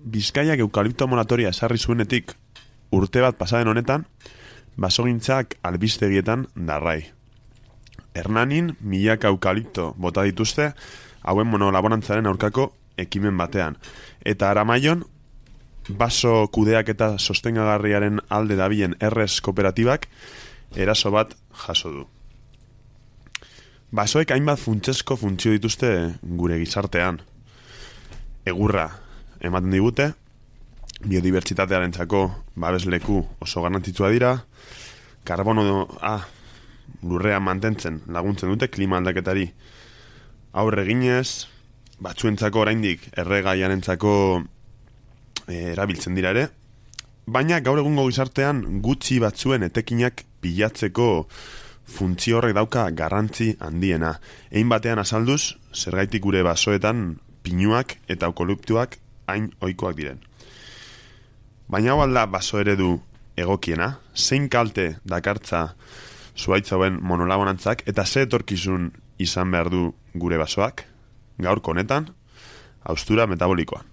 Bizkaiak eukalipto moratoria esarri zuenetik urte bat pasaden honetan, basogintzak albistegietan darrai. Hernanin milaka eukalipto bota dituzte hauen monolaborantzaren aurkako ekimen batean. Eta Aramaion, baso kudeak eta sostengagarriaren alde dabilen errez kooperatibak eraso bat jaso du. Basoek hainbat funtsezko funtzio dituzte gure gizartean. Egurra ematen digute, biodibertsitatearentzako babesleku oso garrantzitsua dira, karbono lurrean mantentzen laguntzen dute klima aldaketari aurre eginez, batzuentzako oraindik erregaiarentzako erabiltzen dira ere, baina gaur egungo gizartean gutxi batzuen etekinak pilatzeko funtzio horrek dauka garrantzi handiena. Ein batean azalduz, zergaitik gure basoetan pinuak eta eukaliptuak hain ohikoak diren. Baina hau alda baso eredu egokiena, zein kalte dakartza zuhaitz hauen monolaborantzak eta ze etorkizun izan behar du gure basoak, gaurko honetan, haustura metabolikoan.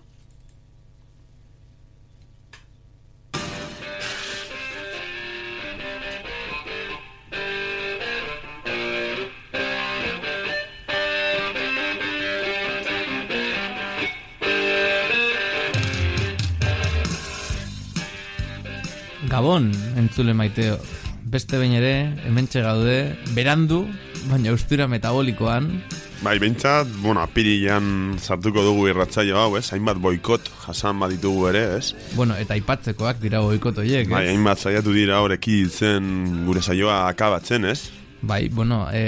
Gabon, entzule maiteo. Beste behin ere, hementxe gaude, berandu, baina haustura metabolikoan. Bai, behintzat, apirilean sartuko dugu irratsaio hau, ez? Hainbat boikot jasan baditugu ere, ez? Eta aipatzekoak dira boikot horiek, ez? Bai, hainbat saiatu dira horreki zen gure saioa akabatzen, ez? Bai,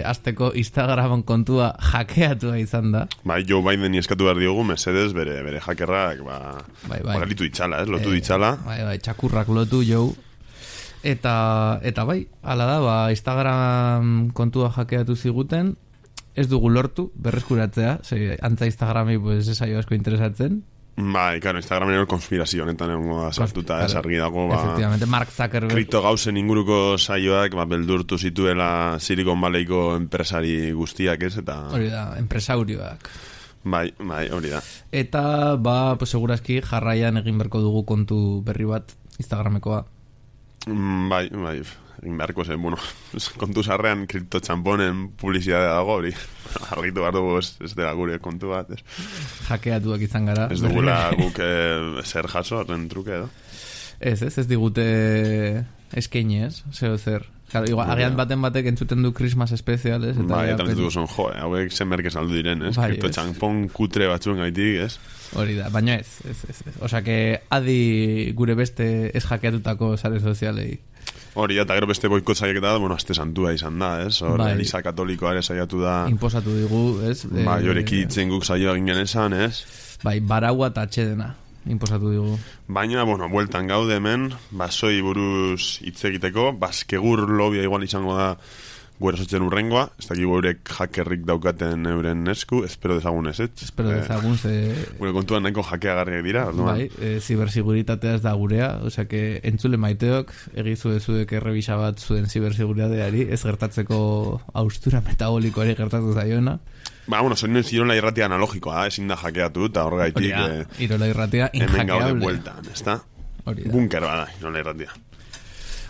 azteko Instagram kontua hackeatua izan da. Bai, Joe Bideni eskatu behar diogu, mesedez, bere hackerrak, galitu ditxala, ez? Lotu ditxala. Bai, txakurrak lotu, Joe. Eta bai, ala da, Instagram kontua hackeatu ziguten, ez dugu lortu, berreskuratzea, antza Instagrami ez zaio asko interesatzen. Bai, claro, Instagramen ero konspirazio honetan egongo da sartuta, ez argi dago, efectivamente, Mark Zuckerberg kripto gauzen inguruko saioak, beldurtu zituela Silicon Valleyko enpresari guztiak, ez, eta... Hori da, enpresaurioak. Bai, hori da. Eta, segurazki, jarraian egin berko dugu kontu berri bat Instagramekoa. Bai, egin beharko zen, kontu sarrean kripto txamponen publizidadea dago, hori argitu behar dugu ez dela gure kontu bat, ez? Hackeatuak izan gara. Ez dugula guk zer jaso, horren truke, edo? Ez digute eskaini, ez? Zer. Claro, igual, agian batek entzuten du Christmas Special, ez? Bai, eta entzutu zon, hauek zenberke saldu diren, ez? Kripto txampon kutre batzuen gaitik, ez? Hori da, baina ez. Osa que adi gure beste ez hackeatutako sare sozialei. Hori da, eta gero beste boikot saiaketa da, aste santua izan da, ez? Eliza katolikoa ere saiatu da... Imposatu digu, ez? Bai, horeki itzen guk saioa ginen esan, ez? Bai, baraua eta atxedena imposatu digu. Baina, bueltan gaude hemen, basoi buruz hitz egiteko, baskegur lobia igual izango da guera sotzen urrengoa, ez dakik eurek hackerrik daukaten euren esku, espero dezagun ez, ez? Espero dezagun, gure kontuan nahiko hackeagarriak dira, orduan. Bai, zibersiguritatea ez da gurea, osea que entzule maiteok, egizu ezuek errebisa bat zuen zibersiguritateari, ez gertatzeko haustura metabolikoari gertatu zaiona. Soinen Irola irratia analogikoa, ezin da hackeatu, eta horregaitik... Irola irratia inhackeable. Hemen gaude bueltan, ez da? Bunker bada, Irola irratia.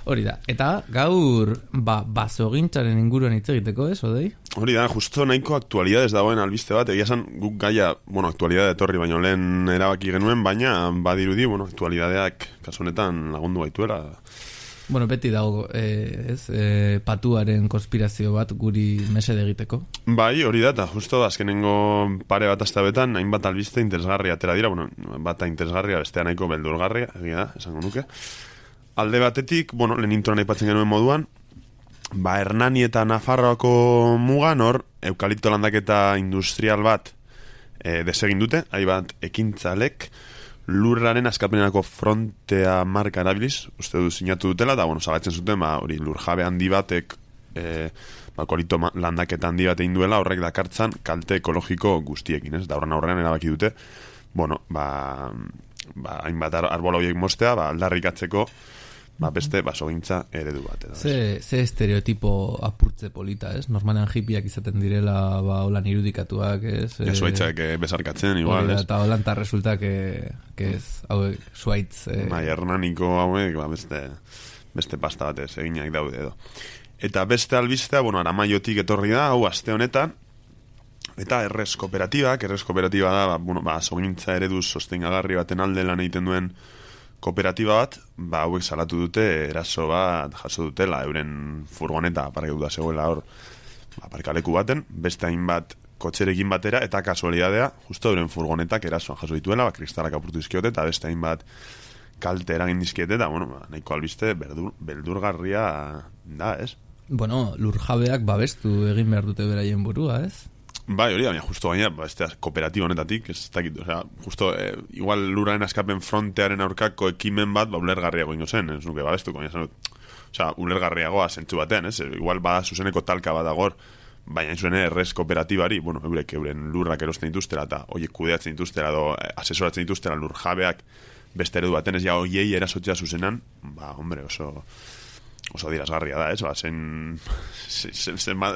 Hori da, eta gaur basogintzaren inguruan hitz egiteko, ez, Odei? Hori da, justo nahiko aktualidades dagoen albiste bat, egia esan guk gaia, aktualidade etorri baino lehen erabaki genuen, baina badirudi, aktualidadeak kasunetan lagundu gaituela. Beti dago, patuaren konspirazio bat guri mesede egiteko. Bai, hori da, eta justo azkenengo pare bat astabetan, hainbat albiste interesgarria atera dira, bata interesgarria, bestea nahiko beldurgarria, egia da, esango nuke. Alde batetik, lehen introan aipatzen genuen moduan, Hernani eta Nafarroako mugan hor, eukalipto landaketa industrial bat desegin dute, hainbat ekintzalek, lurraren askapenenako frontea marka erabiliz, uste du sinatu dutela, eta zabatzen zuten, hori lurjabe handi batek, eukalipto landaketa handi bat egin duela, horrek dakartzan kalte ekologiko guztiekin, ez? Da horren aurrean erabaki dute, hainbat arbola horiek mostea, aldarrikatzeko, beste basogintza eredu bat edo. Ze estereotipo apurtze polita, ez? Normalean hipiak izaten direla, holan irudikatuak, ez? Zuaitzak besarkatzen, igual, ez? Eta holan ta resulta que ez, hauek, zuaitz... Hernaniko hauek, beste pasta batez eginak daude edo. Eta beste albistea, Aramaiotik etorri da, hau aste honetan, eta errez kooperatiba da, basogintza eredu sostengagarri baten alde lan egiten duen kooperatiba bat, hauek salatu dute eraso bat jaso dutela, euren furgoneta aparkatuta zegoela hor, aparkaleku baten, beste hainbat kotxerekin batera, eta kasualidadea, justo euren furgonetak erasoan jaso dituela, kristalak apurtu dizkiote, eta beste hainbat kalte eragin dizkiete, eta, nahiko albiste beldurgarria da, ez? Lurjabeak babestu egin behar dute beraien burua, ez? Bai, hori da, justo gaina, kooperatiba honetatik, ez dakit, justo, igual luraren askapen frontearen aurkako ekimen bat, ulergarriago ingo zen, ez nuke babestuko, ulergarriagoa zentzu batean, ez? Igual bada zuzeneko talka bat agor, baina zuen errez kooperatibari, euren lurrak erosten dituztela, eta oiek kudeatzen dituztela, edo asesoratzen dituztela lur jabeak beste eredu baten, ez oiei erasotzea zuzenan, oso dirazgarria da, ez?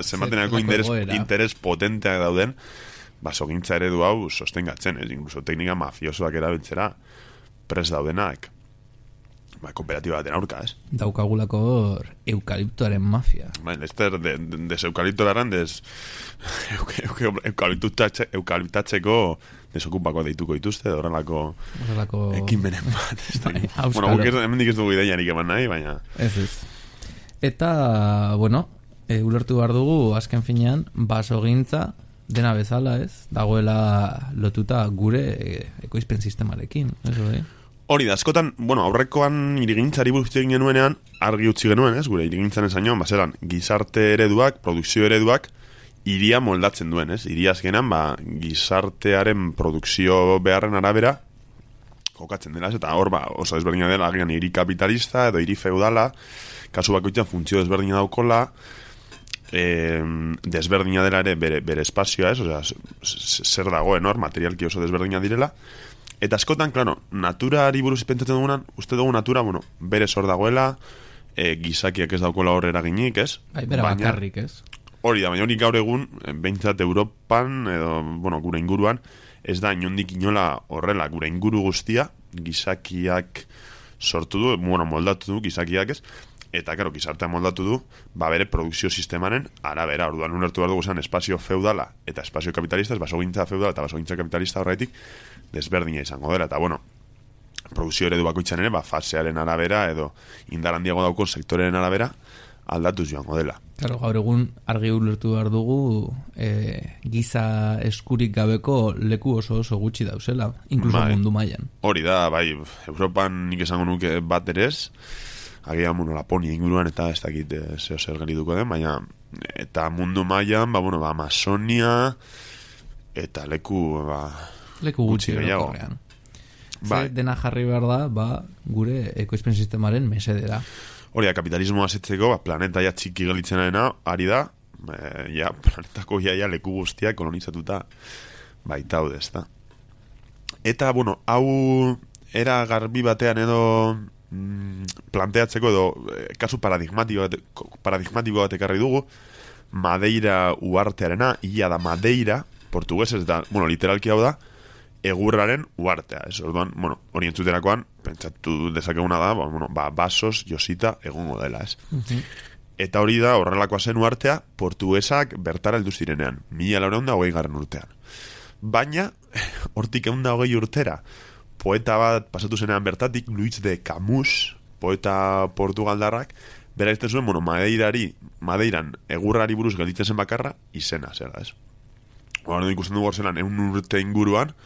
Zenbatenako interes potenteak dauden, basogintza eredu hau sostengatzen, ez? Incluso teknika mafiosoak erabiltzera pres daudenak, kooperatiba baten aurka, ez? Daukagulako eukaliptoaren mafia. Lester, eukalipto beharran, eukaliptatzeko desokupako deituko dituzte, horrelako ekinbenen bat. Hemendik ez dugu ideiarik eman nahi, baina... Ez. Eta, ulertu behar dugu, azken finean, basogintza, dena bezala, ez? Dagoela lotuta gure ekoizpen sistemarekin, ez hori? Hori da, askotan, aurrekoan irigintzari buruz egin genuenean, argi utzi genuen, ez? Gure irigintzan esainoan, bazeran, gizarte ereduak, produkzio ereduak, iria moldatzen duen, ez? Iria azkenan, gizartearen produkzio beharren arabera, kokatzen dela, ez? Eta hor, oso desberdina dela, agian hiri kapitalista edo hiri feudala, kasu bakoitzan funtzio desberdina daukola, desberdina dela ere bere espazioa, ez? Osea, zer dagoen hor, materialki oso desberdina direla. Eta askotan, klaro, naturari buruz pentsatzen dugunan, uste dugu natura, bere zor dagoela, gizakiak ez daukola hor eraginik, ez? Bera bakarrik, ez? Hori da, baina hori gaur egun, behintzat Europan, edo, gure inguruan, ez da inondik inola horrela, gure inguru guztia, gizakiak sortu du, moldatu du gizakiak, ez? Eta, karo, gizartea moldatu du, bere produkzio sistemaren arabera, orduan ulertu behar dugu zen espazio feudala eta espazio kapitalista, basogintza feudala eta basogintza kapitalista horretik desberdina izango dela, eta, produkzio eredu bakoitzan ere, fasearen arabera edo indar handiago daukon sektoreren arabera aldatuz joango dela. Claro, gaur egun argi ulertu behar dugu giza eskurik gabeko leku oso gutxi dauzela, inkluso mundu mailan. Hori da, Europan nik esango nuke bat erez, agian, Laponia inguruan eta ez dakit zeo zer gelituko den, baina eta mundu mailan, Amazonia eta leku gutxi orokorrean. Dena jarri behar da, gure ekoizpen sistemaren mesedera. Hori da, kapitalismoa asetzeko, planeta txiki gelitzen ari da, planetako leku guztiak kolonizatuta baitaude, ez da. Eta, hau era garbi batean edo planteatzeko edo kasu paradigmatiko bat ekarri dugu, Madeira uartearena, ia da Madeira, portuguesez da, literalki hau da, egurraren uartea, ez? Orduan, hori entzuterakoan, pentsatu dezakeguna da, basos josita egongo dela, ez? Eta hori da, horrelakoa zen uartea, portuguesak bertara heldu zirenean, 1420 urtean. Baina, hortik 120 urtera, poeta bat pasatu zenean bertatik, Luis de Camus, poeta portugaldarrak, bera izten zuen, Madeiran egurrari buruz gelditzen zen bakarra, izena, zera, ez? Hora ikusten dugu zelan, 100 urte inguruan,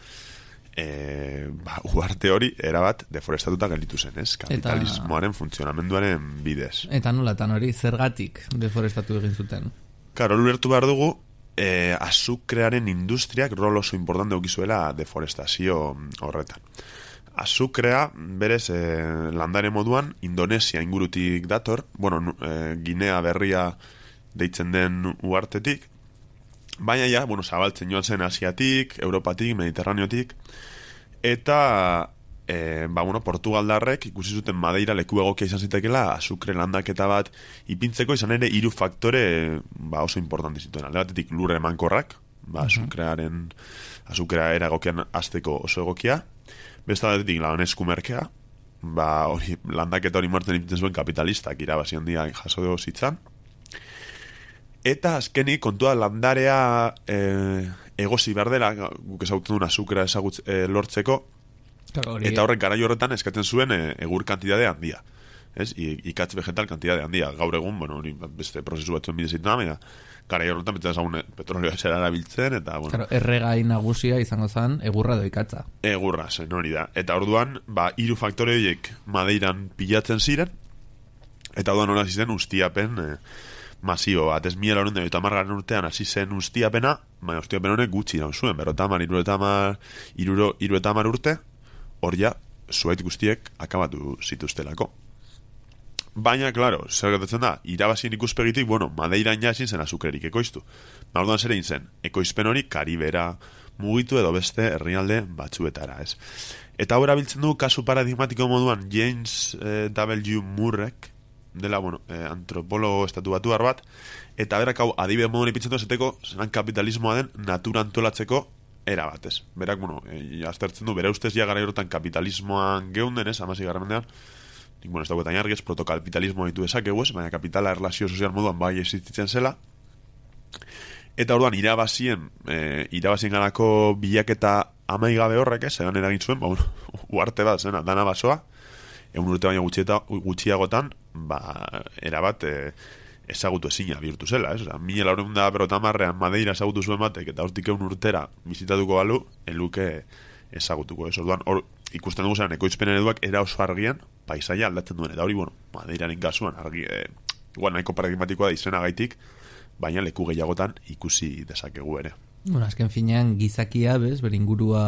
uarte hori, erabat, deforestatuta gelditu zen, ez? Kapitalismoaren funtzionamenduaren bidez. Eta nolatan hori, zergatik deforestatu egin zuten? Karo, ulertu behar dugu, azukrearen industriak rol oso importante eukizuela deforestazio horretan. Azukrea, berez, landare moduan, Indonesia ingurutik dator, Ginea berria deitzen den uartetik, baina zabaltzen joan zen Asiatik, Europatik, Mediterraneotik, eta Portugaldarrek ikusi zuten Madeira leku egokia izan zitekela azukre landaketa bat ipintzeko, izan ere 3 faktore oso importante zituen. Alde batetik lurre emankorrak, azukrea era egokian azteko oso egokia, beste batetik lan eskumerkea, hori landaketa hori martzen ipintzen zuen kapitalistak irabazi handia jaso zitzan. Eta azkenik kontua landarea egosi behar dela, guk ezagutzen duen azukrea lortzeko, eta horrek garai horretan eskatzen zuen egur kantidade handia. Ikatz vegetal kantidade handia. Gaur egun, hori beste prozesu batzuen bidez zitzen, baina garai horretan betzen ezagun petrolioa zera erabiltzen, eta erregai nagusia izango zen egurra edo ikatza. Egurra, zen hori da. Eta orduan, 3 faktore horiek Madeiran pilatzen ziren, eta orduan hori zen ustiapen masio bat. Ez 1980 urtean hasi zen ustiapena, baina ustiapen honek gutxi nahi zuen, 50 urte, hor ja, zuait guztiek akabatu zituztelako. Baina, klaro, zer gertatzen da, irabazien ikuspegitik, Madeiran ja ezin zen azukrerik ekoiztu. Orduan zer egin zen, ekoizpen hori Karibera mugitu edo beste herrialde batzuetara, ez. Eta hau erabiltzen du kasu paradigmatiko moduan James W. Murrek, dela, antropologo estatu batuar bat, eta berak hau adibide moduan ipintzen du ezeteko, zelan kapitalismoa den natura antolatzeko era bat, ez. Berak, aztertzen du, bere ustez ja gara horretan kapitalismoan geunden, ez, 16. mendean, ez dagoetan jargez, protokapitalismoa ditu esakegu, ez, baina kapitala erlazio sozial moduan bai existitzen zela, eta orduan irabazien ganako bilaketa amaigabe horrek, ez, egan eragin zuen, uarte bat, zena, dana basoa, 100 urte baina gutxiagotan, erabat ezagutu ezina bihurtu zela, ez? 1450 Madeira ezagutu zuen batek, eta hortik 100 urtera bizitatuko balu, eluke ezagutuko, ez? Orduan, hor ikusten dugu zelan, ekoizpen ereduak era oso argian, paisaia aldatzen duen, eta hori, Madeiraren kasuan, igual nahiko paradigmatikoa da izenagaitik, baina leku gehiagotan ikusi dezakegu ere. Azken finean gizakia, bez, beringurua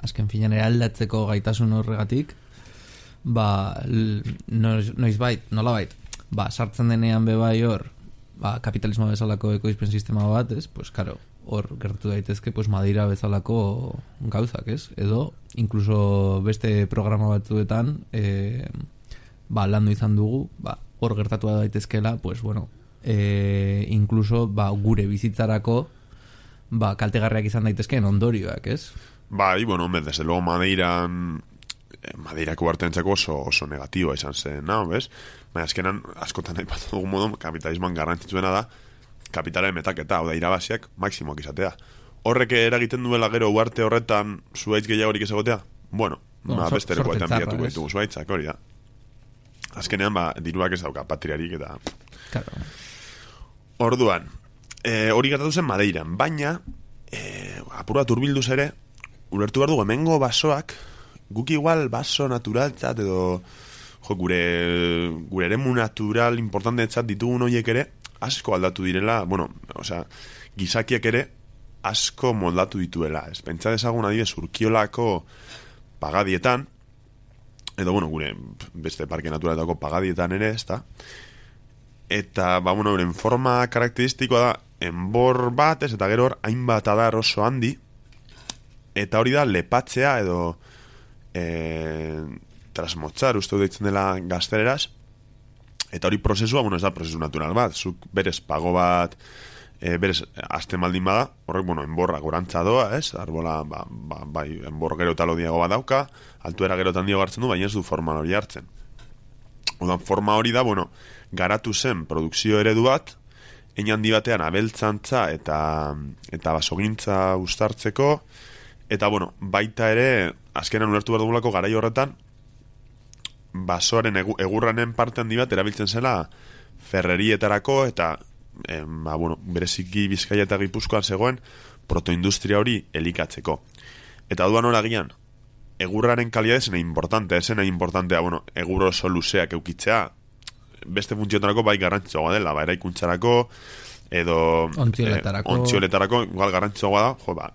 azken finean eraldatzeko gaitasun horregatik, nolabait, sartzen denean bebai hor, kapitalismo bezalako ekoizpen sistema bat, ez, hor gertu daitezke, Madeira bezalako gauzak, ez, edo, inkluso beste programa batzuetan, landu izan dugu, hor gertatu daitezkela, inkluso, gure bizitzarako, kaltegarriak izan daitezkeen ondorioak, ez? Desde luego Madeirako bartentzako oso negatiboa izan zen, bez? Baina azkenan, askotan nahi bat dugu modu, kapitalismoan garrantzitsuena da, kapitalaren metaketa, hau da, irabaziak maksimoak izatea. Horrek eragiten duela gero uarte horretan zuaitz gehiagorik ez egotea? Beste lekoetan bilatuko ditugu zuaitzak, hori da. Azkenean, diruak ez dauka patriarik eta... Orduan, hori gertatu zen Madeiran, baina, apura turbilduz ere, ulertu behar dugu, hemengo basoak, guk igual baso naturaltzat edo gure eremu natural importanteetzat ditugun horiek ere asko aldatu direla, gizakiak ere asko moldatu dituela, ez? Pentsa dezagun adibidez Urkiolako pagadietan, edo gure beste parke naturaletako pagadietan ere, ezta? Eta, euren forma karakteristikoa da enbor bat, ez, eta gero hor hainbat adar oso handi, eta hori da lepatzea edo trasmotzar, uste deitzen dela gazteleraz, eta hori prozesua, ez da prozesu natural bat, zuk berez pago bat, berez azten baldin bada, horrek, enborra gorantza doa, ez, arbola, enbor gero talo diago bat dauka, altuera gero tan diago hartzen du, baina ez du forma hori hartzen. Odan, forma hori da, garatu zen produkzio eredu bat, hein handi batean abeltzantza eta basogintza uztartzeko, eta, baita ere, azkenan ulertu behar dugulako garai horretan, basoaren egurranen parte handi bat erabiltzen zela ferrerietarako eta, bereziki Bizkaia eta Gipuzkoan zegoen protoindustria hori elikatzeko. Eta duan horagian, egurraren kalidade zena importantea, egur oso luzeak eukitzea, beste funtzioetarako bai garrantzitsuagoa dela, eraikuntzarako, edo ontzioletarako igual garrantzitsuagoa da,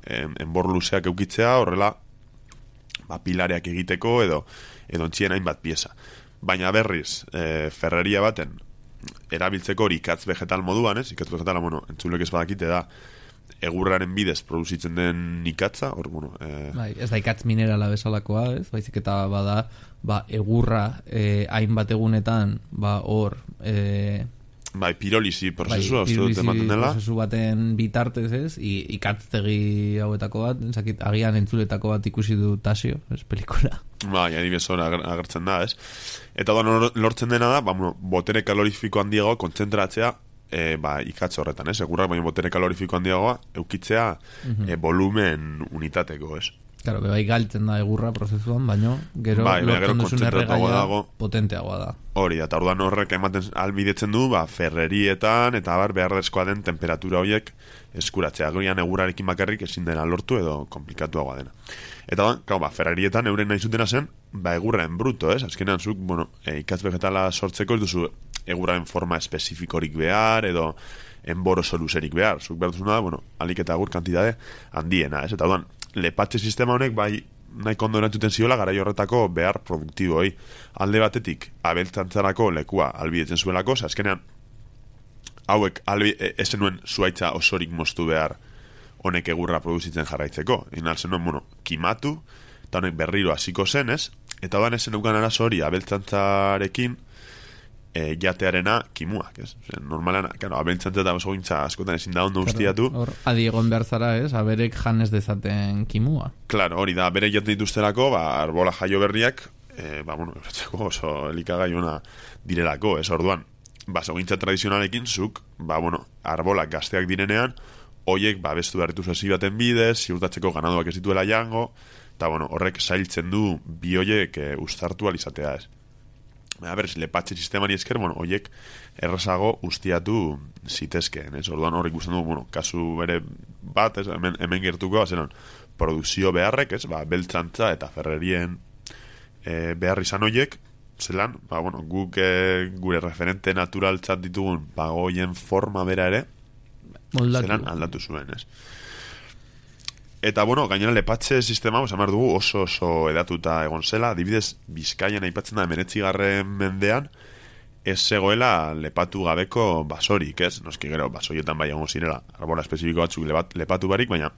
enbor luzeak eukitzea, horrela pilareak egiteko edo ontzien hainbat pieza. Baina berriz, ferreria baten erabiltzeko hori ikatz vegetal moduan, ez? Ikatz vegetal, entzulek ez badakite da egurraren bidez produzitzen den ikatza, hor, bueno... Bai, ez da ikatz minerala bezalakoa, ez? Baizik eta bada, egurra hainbat egunetan, hor... Bai, pirolisi prozesua, uste ematen dela. Prozesu baten bitartez, ez? Ikatztegi hauetako bat, agian entzuletako bat ikusi du Tasio, ez, pelikula. Bai, adibidez hor agertzen da, ez? Eta lortzen dena da, botere kalorifiko handiago kontzentratzea ikatz horretan, ez? Egurrak baina botere kalorifiko handiagoa eukitzea volumen unitateko, ez? Claro, bai galtzen da egurra prozesuan, baino gero lortzen duzun erregaia potenteagoa da. Hori, eta orduan horrek ematen albidetzen du, ferrerietan eta beharrezkoa den temperatura horiek eskuratzea. Gorian egurrarekin bakarrik ezin dena lortu edo komplikatuagoa dena. Eta ferrerietan euren nahi zutena zen, egurren bruto, ez? Azkenean zuk, ikatz vegetala sortzeko ez duzu egurraren forma espezifikorik behar edo enboro soluserik behar. Zuk behar duzuna da, alik eta egur kantidade handiena, ez? Eta orduan, lepatxe sistema honek nahiko ondo erantzuten ziola garai horretako behar produktiboi. Alde batetik abeltzantzarako lekua albidetzen zuelako, azkenean hauek ezen nuen zuaitza osorik moztu behar honek egurra produzitzen jarraitzeko. Inalzen nuen, kimatu, eta honek berriro hasiko zen, ez? Eta odan ezen eukan arazo hori abeltzantzarekin jatearena kimuak, ez? Normalean, abeltzantza eta oso gintza askotan ezin da ondo ustiatu. Hor, adiegon behar zara, ez? Aberek janez dezaten kimua. Claro, hori da, berek jaten dituztelako, arbola jaio berriak, oso elikagai ona direlako, ez? Orduan, basogintza tradizionalekin zuk, arbolak gazteak direnean, hoiek bestu behar dituz baten bidez, ziurtatzeko ganadoak ez dituela jango, eta horrek zailtzen du bi hoiek ustartu alizatea, ez? Berez, lepatxe sistemari esker, hoiek errazago ustiatu zitezkeen, ez? Orduan hor ikusten du, kasu bere bat, ez? Hemen gertuko, zelan, produkzio beharrek, ez? Beltzantza eta ferrerien behar izan hoiek, zelan, guk gure referente naturaltzat ditugun hoien forma bera ere, zelan aldatu zuen, ez? Eta, gainera lepatxe sistema, amar dugu oso edatuta egon zela, adibidez, Bizkaian aipatzen da 19. mendean, ez zegoela lepatu gabeko basorik, ez? Noski gero, basoietan bai egon zirela, arbola espezifiko batzuk lepatu barik, baina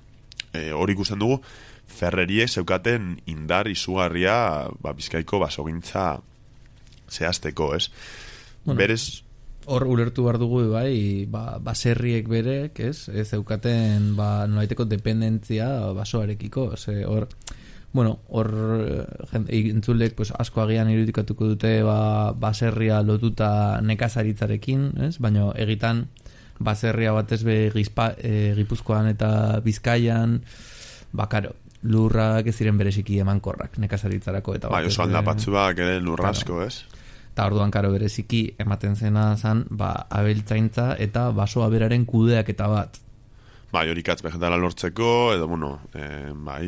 hori ikusten dugu, ferrerie zeukaten indar izugarria Bizkaiko basogintza zehazteko, ez? Berez... Hor ulertu behar dugu, baserriek berek, ez zeukaten, nolaiteko dependentzia basoarekiko, hor, entzulek asko agian irudikatuko dute baserria lotuta nekazaritzarekin, ez? Baina egitan baserria batez Gipuzkoan eta Bizkaian, karo, lurrak ez ziren bereziki emankorrak nekazaritzarako. Oso aldapatzuak ere lurrasko, ez? Eta orduan karo bereziki ematen zena zan, abeltzaintza eta basoa beraren kudeaketa bat. Hori katz vegetala lortzeko, edo,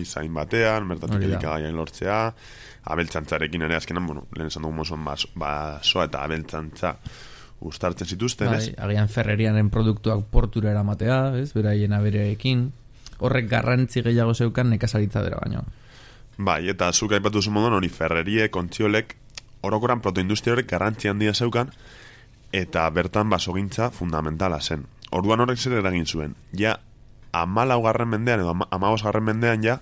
zain batean, mertatik elikagaian lortzea, abeltzantzarekin ere azkenan, lehen esan dugu basoa eta abeltzantza ustartzen zituzten, ez? Agian ferrerianen produktuak portura eramatea, ez? Beraien abereekin. Horrek garrantzi gehiago zeukan nekazaritza bera baino. Eta zuk aipatu zuen moduan, hori ferrerie, kontziolek, orokoran protoindustria horrek garrantzi handia zeukan, eta bertan basogintza fundamentala zen. Orduan horrek zer eragin zuen. Ja, 14. mendean edo 15. mendean ja,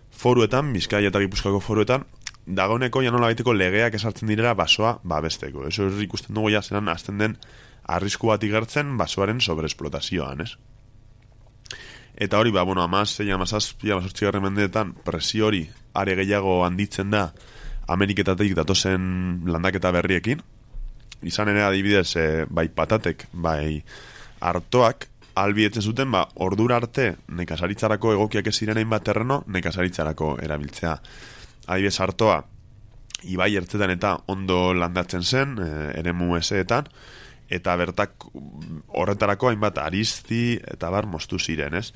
foruetan, Bizkaia eta Gipuzkoako foruetan, dagoeneko ja nola baiteko legeak esartzen direla basoa babesteko. Eso ikusten dugu ja zelan azten den arrisku bat igertzen basoaren sobreesplotazioan, ez? Eta hori, 16, 17, 18. mendeetan presio hori are gehiago handitzen da Ameriketatik datozen landaketa berriekin. Izan ere adibidez, bai patatek, bai artoak, albietzen zuten, ordura arte nekazaritzarako egokiak ez zirenein bat terreno, nekazaritzarako erabiltzea. Adibidez, artoa, ibai ertzetan eta ondo landatzen zen, eremu eseetan, eta bertak horretarako hainbat arizti eta moztu ziren, ez?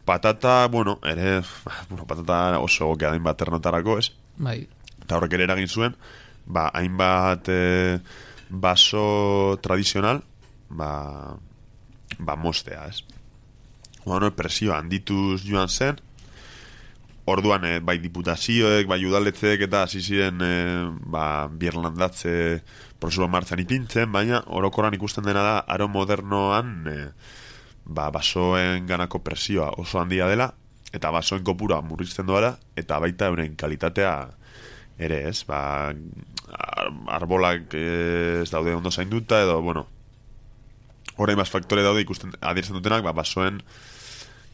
Patata, patata oso egokia dain bat ternotarako, ez? Bai. Eta horrek ere eragin zuen, hainbat baso tradizional, mostea, ez? Presio handituz joan zen, orduan, bai diputazioek, bai udaletzeek eta hasi ziren birlandatze prozesua martxan ipintzen, baina orokoran ikusten dena da aro modernoan basoen ganako presioa oso handia dela, eta basoen kopura murrizten doala, eta baita euren kalitatea ere, ez? Arbolak ez daude ondo zainduta, edo, bueno, orain bas faktore daude ikusten adierazten dutenak, basoen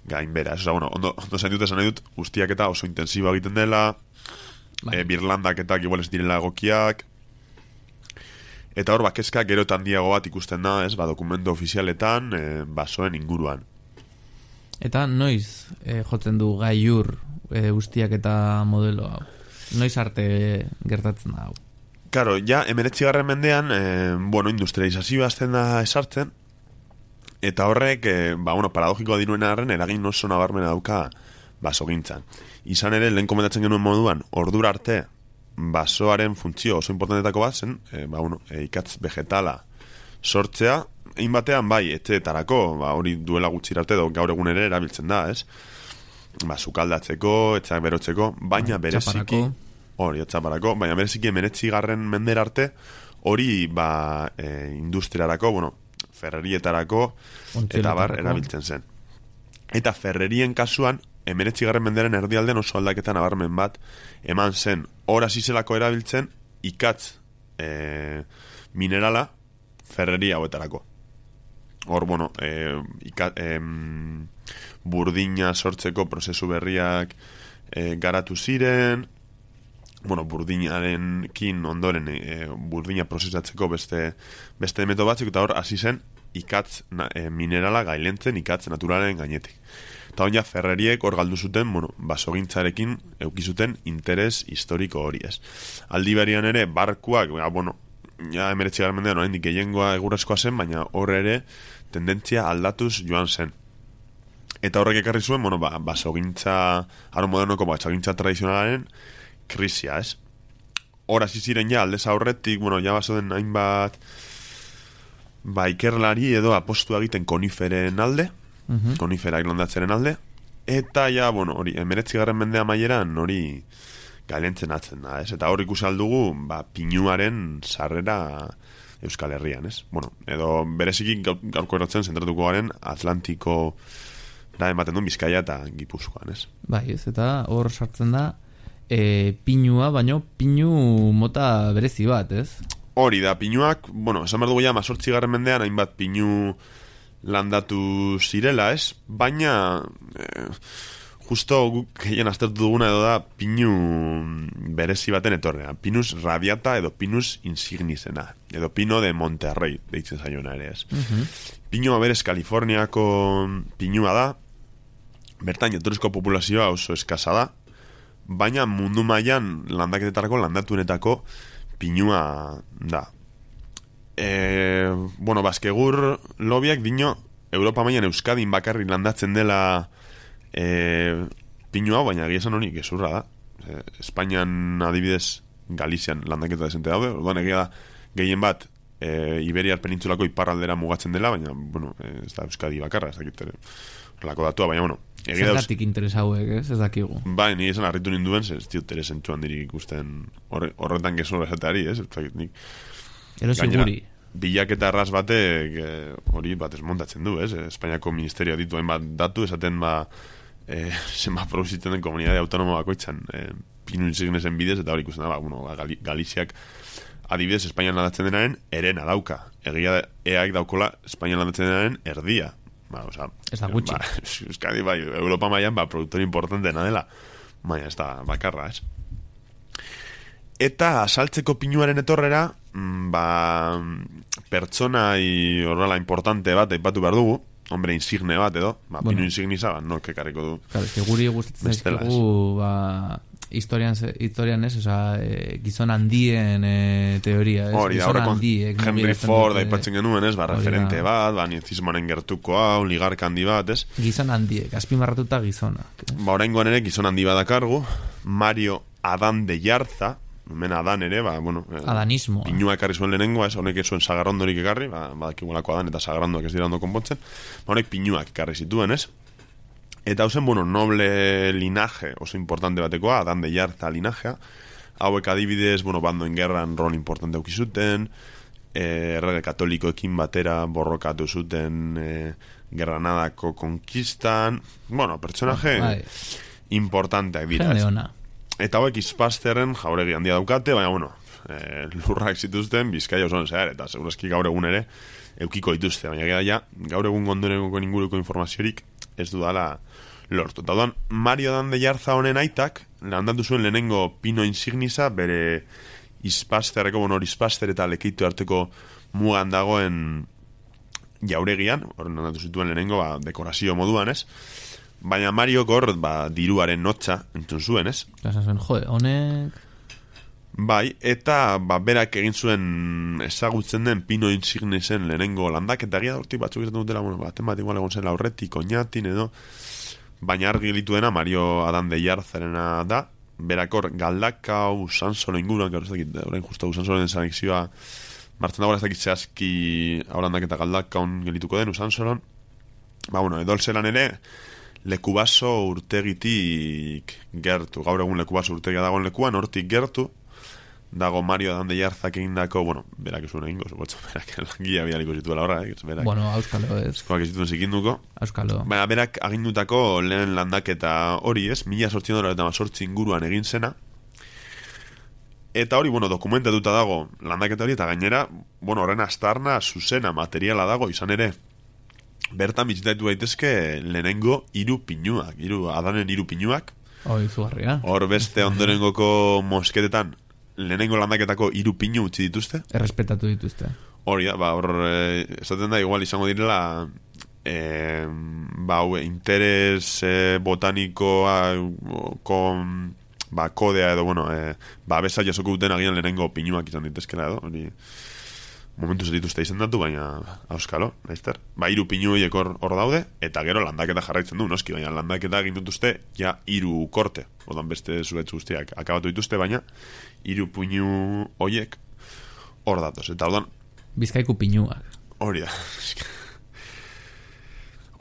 gainbera. Osa, bueno, ondo zainduta esan nahi dut, guztiak eta oso intensiboa egiten dela, birlandak eta igual ez direla egokiak, eta hor, kezka gero eta handiago bat ikusten da, ez, dokumentu ofizialetan, basoen inguruan. Eta noiz jotzen du gaiur guztiak eta modelo hau? Noiz arte gertatzen da hau? Karo, ja, 19. mendean, industrializazioa azten da esartzen, eta horrek, paradogikoa diruen arren, eragin oso nabarmena dauka basogintzan. Izan ere, lehen komentatzen genuen moduan, ordura arte, basoaren funtzio oso importantetako bat zen, ikatz vegetala sortzea, egin batean, etxeetarako, hori duela gutxi arte, gaur egun ere erabiltzen da, ez? Sukaldatzeko, etxeak berotzeko, baina bereziki, hori, etxaparako, baina bereziki 19. mendera arte, hori, industriarako, ferrerietarako, eta erabiltzen zen. Eta ferrerien kasuan, 19. mendearen erdialden oso aldaketan nabarmen bat eman zen. Hor hasi zelako erabiltzen ikatz minerala ferreria hauetarako. Hor, burdina sortzeko prozesu berriak garatu ziren, burdinarekin ondoren burdina prozesatzeko beste metodo batzuk, eta hor hasi zen ikatz minerala gailentzen ikatz naturalen gainetik. Eta hon ja ferreriek hor galdu zuten, basogintzarekin eukizuten interes historiko hori, ez. Aldi berian ere, barkuak, ja 19. mendean oraindik gehiengoa egurrezkoa zen, baina hor ere tendentzia aldatuz joan zen. Eta horrek ekarri zuen, basogintza, aro modernoko basogintza tradizionalaren krisia, ez. Hor hasi ziren ja, aldez aurretik, ja basoden hainbat ikerlari edo apostua egiten koniferen alde, koniferak landatzeren alde, eta ja, hori, 19. mendea maieran hori gailentzen atzen da, ez? Eta hor ikusi aldugu, pinuaren sarrera Euskal Herrian, ez? Edo bereziki gaurko erotzen zentratuko garen Atlantiko da ematen duen Bizkaia eta Gipuzkoan, ez? Bai, ez, eta hor sartzen da pinua, baino pinu mota berezi bat, ez? Hori da, pinuak, esan behar dugu ja 18. mendean hainbat pinu landatu zirela, ez? Baina justo guk gehien aztertu duguna edo da pinu berezi baten etorrea. Pinus radiata edo pinus insignisena. Edo pino de Monterrey, deitzen zaiona ere, ez? Pinua berez Kaliforniako pinua da, bertan jatorrizko populazioa oso eskasa da, baina mundu mailan landaketetarako landatunetako pinua da. Baskegur lobiak dino Europa mailan Euskadin bakarrik landatzen dela pinua, baina egia esan hori gezurra da. Espainian adibidez Galizian landaketa desente daude, orduan egia da gehien bat Iberiar penintzulako iparraldera mugatzen dela, baina ez da Euskadi bakarra, ez dakit horrelako datua, baina zergatik interes hauek, ez dakigu. Bai, ni esan harritu ninduen, ez diot ere zentzuan dirik ikusten horretan gezurra esateari, ez? Erosi guri. Bilaketa arras batek hori bat esmontatzen du, ez? Espainiako ministerioa dituen bat datu, esaten zenbat produzitzen den komunidade autonomo bakoitzan pinu insignesen bidez, eta hori ikusten da, Galiziak adibidez Espainian landatzen denaren erena dauka. Egia eak daukola Espainian landatzen denaren erdia. Ez da gutxi. Euskadi, Europa mailan, produktor importantena dela. Baina ez da bakarra, ez? Eta asaltzeko pinuaren etorrera, pertsonai horrela importante bat aipatu behar dugu, hombre insigne bat edo, pinu insignisa, nork ekarriko du. Claro, es que guri gustatzen zaizkigu, historian ez, gizon handien teoria, ez? Hori da, horreko Henry Ford aipatzen genuen, ez? Referente bat, nizismoaren gertuko hau, ligarka handi bat, ez? Gizon handiek, azpimarratuta gizonak. Oraingoan ere gizon handi badakargu, Mario Adán de Yarza, hemen Adan ere, adanismo. Pinua ekarri zuen lehenengoa, ez? Honek zuen sagarrondorik ekarri, badakigulako Adan eta sagarrondoak ez dira ondo konpontzen, honek pinuak ekarri zituen, ez? Eta hausen, noble linaje oso importante batekoa, Adán de Yarza linajea, hauek adibidez, bando en gerran rol importante eukizuten, errege katolikoekin batera borrokatu zuten Granadako konkistan, bueno, pertsonaje importanteak dira. Eta hauek Ispazterren jauregi handia daukate, baina, bueno, lurrak zituzten Bizkaia osoan zehar, eta segurazki gaur egun ere eukiko dituzte, baina gara gaur egun gondoneko inguruko informaziorik ez dudala lortu. Eta duan, Mario Dan de Jarza honen aitak landatu zuen lehenengo Pino Insignisa, bere Ispazterreko, bueno, Ispazter eta Lekeitu arteko mugan dagoen jauregian, horren landatu zituen lehenengo dekorazio moduan, ez? Baina Mario hor, diruaren notxa entzun zuen, ez? Zuen, honek... Bai, eta berak egin zuen ezagutzen den Pino Insignisen lehenengo landaketa egia hortik batzuk izaten dutela, bueno, baten igual egon zen aurretik, oinatin edo, baina argi dituena Mario Adan de Jarzarena da, berakor Galdakao, Usansolo inguruan, gaur ez dakit, orain justu Usansoloen zanexioa martzen dagoela ez dakit zehazki haulandak eta Galdakaon gelituko den Usansolon, bueno, edolzelan ere Lekubaso urtegitik gertu, gaur egun Lekubaso urtegia dagoen lekuan, hortik gertu dago Mario Dan de Jarzak egindako, bueno, berak esun egingo, berak langia bialiko zituela horra, berak. Bueno, auskalo ez. Eskoak ez zituen zikinduko. Auskalo. Baina berak agindutako lehen landaketa hori ez, 1818 inguruan egin zena. Eta hori, bueno, dokumentatuta dago landaketa hori, eta gainera, bueno, horren astarna, zuzena, materiala dago, izan ere, bertan bizitaitu daitezke lehenengo hiru pinuak, Adanen hiru pinuak. Izugarria. Hor beste ondorengoko mosketetan, lehenengo landaketako hiru pinu utzi dituzte. Errespetatu dituzte. Hori da, hor esaten da igual izango direla interes botanikoa kodea edo, bueno, besa jasoko duten agian lehenengo pinuak izan ditezkela edo, hori momentu dituzte izendatu, baina auskalo, naizter. Hiru pinu horiek hor daude, eta gero landaketa jarraitzen du, noski, baina landaketa egin dituzte ja hiru korte, ordan beste zuetz guztiak akabatu dituzte, baina hiru pinu horiek hor datoz, eta ordan Bizkaiku pinuak. Hori da.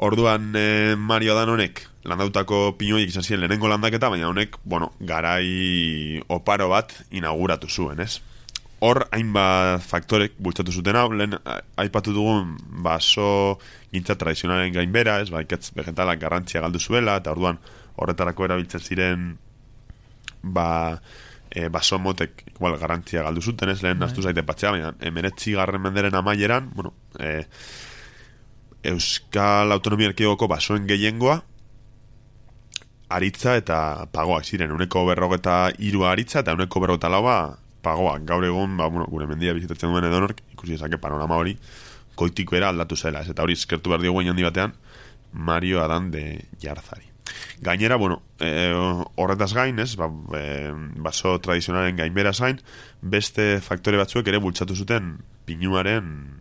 Orduan Mario Dan honek landautako pinu horiek izan ziren lehenengo landaketa, baina honek, bueno, garai oparo bat inauguratu zuen, ez? Hor, hainbat faktorek bultzatu zuten hau, lehen aipatu dugun baso gintza tradizionalen gainbera, ez, ikatz vegetalak garrantzia galdu zuela, eta orduan horretarako erabiltzen ziren baso motek igual garrantzia galdu zuten, ez, lehen naztu zaite patxea, baina 19. menderen amaieran, bueno, Euskal Autonomia Erkidegoko basoen gehiengoa aritza eta pagoak ziren, 153 aritza eta 154 pagoak. Gaur egun, bueno, gure mendia bizitatzen duen edonork, ikusi ezake panorama hori koitiko era aldatu zela, ez, eta hori eskertu behar diogu handi batean Mario Adan de Jarzari. Gainera, bueno, horretaz gain, ez, baso tradizionalen gainberaz gain, beste faktore batzuek ere bultzatu zuten pinuaren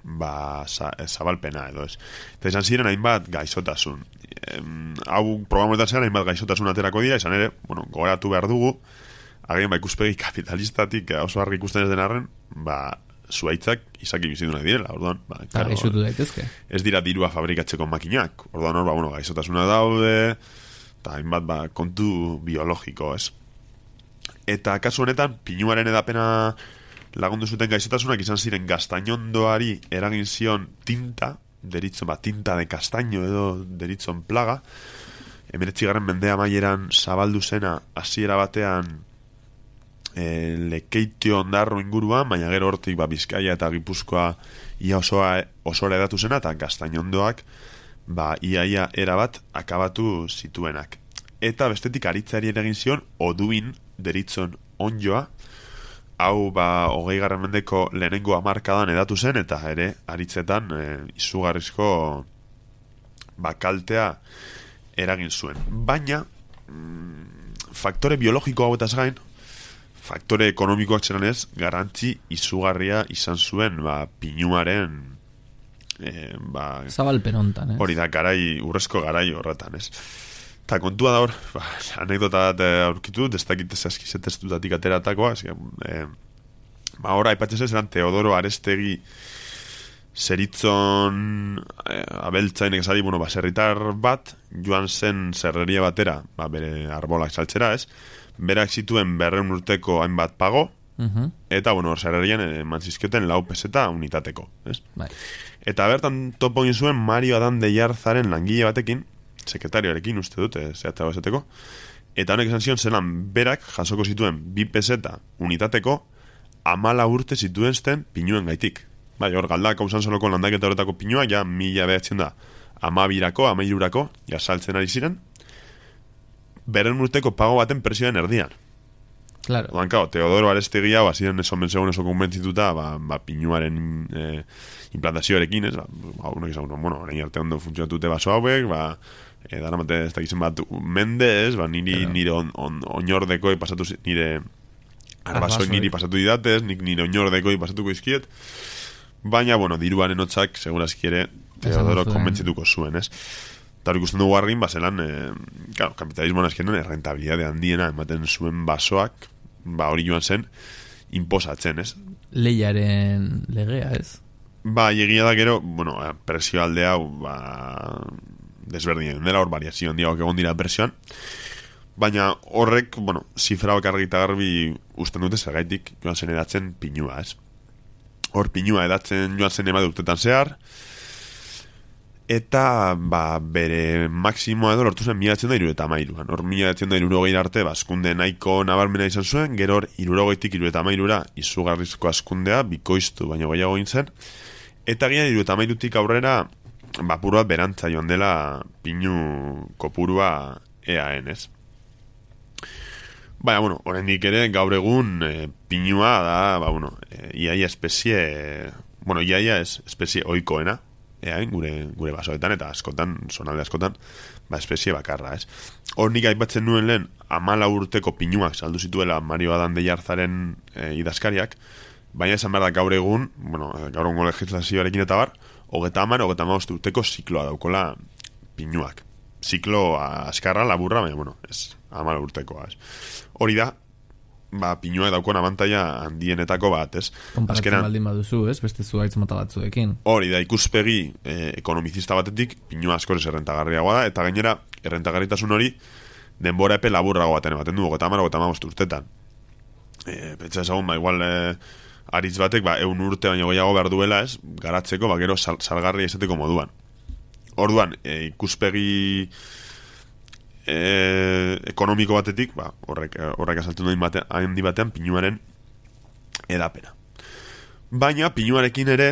zabalpena edo ez. Eta izan ziren hainbat gaixotasun. Hau programetan zean hainbat gaixotasun aterako dira, izan ere, bueno, gogoratu behar dugu, agian ikuspegi kapitalistatik oso argi ikusten ez den arren, zuaitzak izaki bizidunak direla, orduan, ez dira dirua fabrikatzeko makinak, orduan hor, bueno, gaixotasuna daude, eta hainbat kontu biologiko, ez? Eta kasu honetan, pinuaren edapena lagundu zuten gaixotasunak izan ziren gaztainondoari eragin zion tinta, deritzon, tinta de castaño edo deritzon plaga, 19. mendea maieran zabaldu zena hasiera batean Lekeitio ondarro inguruan, baina gero hortik Bizkaia eta Gipuzkoa ia osora edatu zena, eta gaztainondoak iaia erabat akabatu zituenak. Eta bestetik aritzari egin zion oduin deritzon onjoa, hau 20. mendeko lehenengo hamarkadan edatu zen, eta ere aritzetan izugarrizko kaltea eragin zuen. Baina faktore biologiko hauetaz gain, faktore ekonomikoak zeran ez, garrantzi izugarria izan zuen pinuaren zabalpen hontan, hori da, urrezko garai horretan, ez? Eta kontua da hor, anekdota bat aurkitu, ez dakit eskizetestutatik ateratakoa, hor aipatzen zeran Teodoro Arestegi zeritzon abeltzainek esari, baserritar bat, joan zen zerreria batera, bere arbolak saltzera, ez? Berak zituen 200 urteko hainbat pago, Eta, bueno, sarrerian eman zizkioten 4 peseta unitateko, ez? Bai. Eta bertan topo egin zuen Mario Adan de Jarzaren langile batekin, sekretarioarekin uste dut, zehatzago esateko, eta honek esan zion zelan berak jasoko zituen 2 peseta unitateko 14 urte zituen zten pinuen gaitik. Bai, hor galdak hausan soloko landaketa horretako pinua, ja 1200 1300 ja saltzen ari ziren, 200 urteko pago baten presioen erdian. Claro. Odan, kao, Teodoro Arestegi hau, ziren oso konbentzituta, pinuaren implantazioarekin, ez, unek izan, bueno, orain arte ondo funtzionatute baso hauek, daramate ez dakizen bat mende, ez, nire oinordekoi pasatu, nire arbasoi niri pasatu didatez, nire oinordekoi pasatuko izkiet, baina, bueno, diruaren hotzak, segurazki ere, Teodoro konbentzituko zuen, ez? Eta hori ikusten dugu harrin, zelan, claro, kapitalismoan azkenan errentabilidade handiena ematen zuen basoak, hori joan zen, imposatzen, ez? Leiaren legea, ez? Egia da gero, bueno, presio alde hau, desberdinen dela, hor variazio handiagoak egon dira presioan, baina horrek, bueno, zifra bakarrik eta garbi usten dute zergaitik joan zen edatzen pinua, ez? Hor pinua edatzen joan zen emade urtetan zehar, eta bere maksimoa edo lortu zen 1973an. Hor 1970 arte askunde nahiko nabarmena izan zuen, gero hor 70tik 73ra izugarrizko askundea bikoiztu baina gehiago egin zen, eta gian 73tik aurrera puru bat berantza joan dela pinu kopurua eaen, ez? Baina, bueno, oraindik ere gaur egun pinua da, iaia espezie, bueno, iaia espezie oikoena, gure basoetan eta askotan, zonalde askotan, espezie bakarra, ez? Hor nik aipatzen nuen lehen 14 urteko pinuak saldu zituela Mario Adan de Jarzaren idazkariak, baina esan behar da gaur egun, bueno, gaur egun legislazioarekin eta 35 urteko zikloa daukola pinuak. Ziklo askarra, laburra, baina, bueno, ez 14 urtekoa, ez? Hori da, pinuak daukon abantaia handienetako bat, ez? Konparatzen baldin baduzu, ez? Beste zuaitz mota batzuekin. Hori da, ikuspegi ekonomizista batetik, pinua askoz errentagarriagoa da, eta gainera, errentagarritasun hori, denbora epe laburrago baten ematen du, 30-35 urtetan. Pentsa ezagun, igual aritz batek, 100 urte baino gehiago behar duela, ez? Garatzeko, gero salgarria izateko moduan. Orduan, ikuspegi ekonomiko batetik, horrek asaltzen duen handi batean pinuaren edapena. Baina pinuarekin ere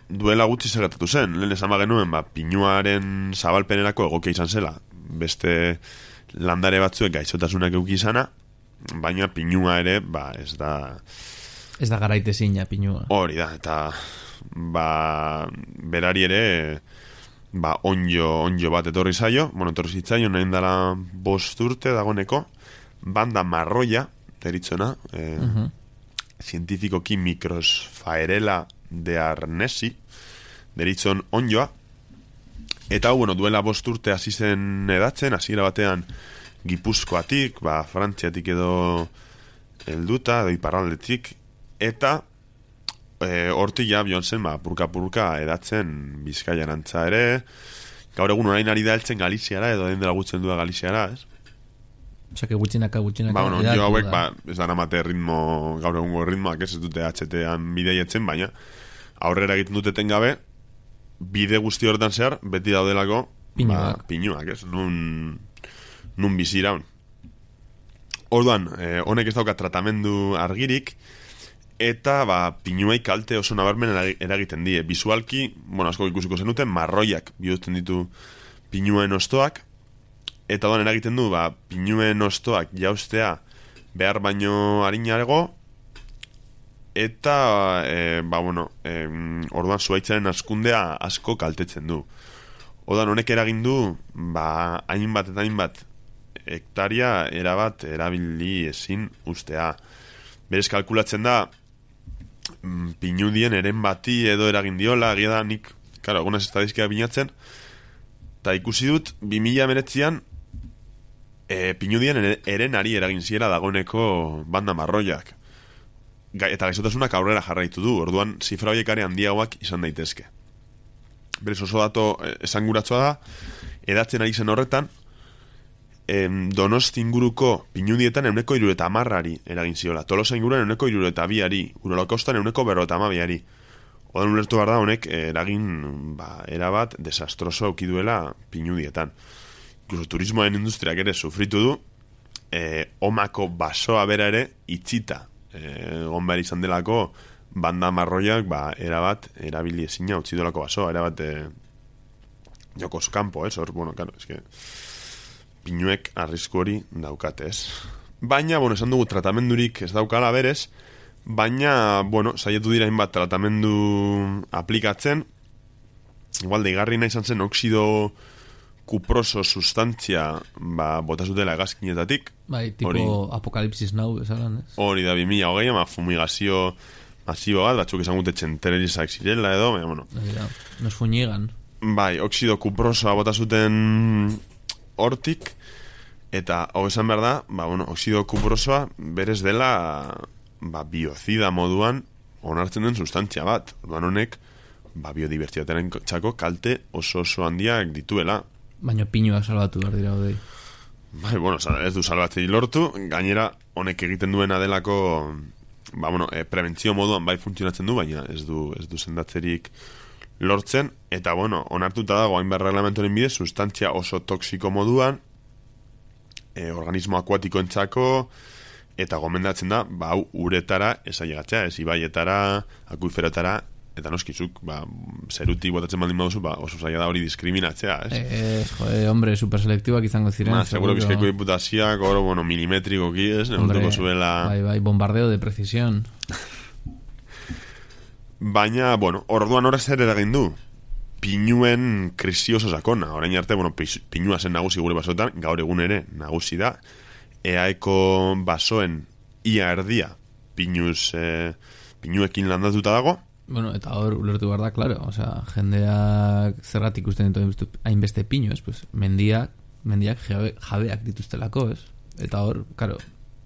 duela gutxi zergatatu zen. Lehen esan genuen, pinuaren zabalpenerako egokia izan zela. Beste landare batzuek gaixotasunak eduki izana, baina pinua ere, ez da... Ez da garaitezina pinua. Hori da, eta berari ere... onjo bat etorri zaio, etorri zitzaio, nahin dela 5 urte dagoneko, banda marroia, deritzona, zientifikoki Microsphaerella de Arnesi, deritzon onjoa, eta duela 5 urte hasi zen edatzen, hasiera batean Gipuzkoatik, Frantziatik edo helduta, edo iparraldetik, eta hortik ja bion zen purka-purka edatzen Bizkaian antza ere, gaur egun orain ari da heltzen Galiziara edo den dela gutzen du Galiziara, ez? Osa, que gutxinaka jo hauek, ez da namate ritmo, gaur egungo ritmoak ez dute HT-an bideietzen, baina aurrera egiten duteten gabe, bide guzti horretan zehar, beti daudelako pinuak, ez? Nun biziraun. Orduan, honek ez dauka tratamendu argirik, eta pinuei kalte oso nabarmen eragiten die. Bisualki, asko ikusiko zenuten, marroiak bihurtzen ditu pinuen ostoak, eta doan eragiten du, pinuen ostoak jaustea behar baino harinago, eta, orduan zuaitzaren askundea asko kaltetzen du. Orduan honek eragin du, hainbat eta hainbat hektaria erabat erabili ezin ustea. Berez kalkulatzen da, pinudien eren bati edo eragin diola, egia da nik, egunaz estadizkia binatzen, eta ikusi dut 2019an pinudien erenari eragin ziera dagoneko banda marroiak, eta gaixotasunak aurrera jarraitu du. Orduan zifra horiek are handiagoak izan daitezke. Berez oso dato esanguratsua da, edatzen ari zen horretan, Donosti inguruko pinudietan 170 eragin ziola. Tolosa inguruan 172, Urolakaustan 152. Odan ulertu behar da honek eragin erabat desastroso aukiduela pinudietan. Incluso turismoen industriak ere sufritu du, omako basoa bera ere itxita. Egon behar izan delako banda marroiak erabat erabili ezina utzi dolako basoa, erabat jokos kanpo, hor, bueno, claro, eske pinuek arrisku hori daukate, ez? Baina, bueno, esan dugu tratamendurik ez daukala berez, baina, bueno, saietu dira hainbat tratamendu aplikatzen, igual deigarri izan zen oxido kuproso sustantzia botazutela hegazkinetatik. Bai, tipo Apokalipsis Now, esalan, ez? Hori da 2020, fumigazio masibo bat, batzuk esan gute txentererizak zirela edo, baina, bueno. Nos fuñigan. Bai, oxido kuprosoa botazuten hortik, eta hau esan behar da, bueno, oxido kuprosoa berez dela biozida moduan onartzen den sustantzia bat. Orduan honek, biodibertsitatearen txako kalte oso handiak dituela. Baina pinuak salbatu behar dira hodei. Bai, bueno, ez du salbatzei lortu, gainera honek egiten duena delako, prebentzio moduan bai funtzionatzen du, baina ez du sendatzerik lortzen, eta bueno, onartuta dago hainbat reglamentoren bidez sustantzia oso toksiko moduan, organismo akuatikoentzako, eta gomendatzen da, hau uretara esailegatzea, ez ibaietara, akuiferotara, eta noskizuk, zerutik botatzen baldin baduzu, oso zaila da hori diskriminatzea, ez? Hombre, superselektiboak izango ziren. Seguro bizkaiko diputazioak, milimetrikoki, ez? Neurtuko zuela... Bai, bombardeo de precisión. Baina, bueno, orduan horrez ere eragin du. Pinuen krisi oso sakona. Orain arte, pinua zen nagusi gure basoetan, gaur egun ere nagusi da. Eaeko basoen ia erdia pinuekin landatuta dago. Bueno, eta hor ulertu behar da, claro, osea, jendeak zergatik ikusten ditu hainbeste pinu, ez? Pues, mendiak jabeak dituztelako, ez? Eta hor, claro,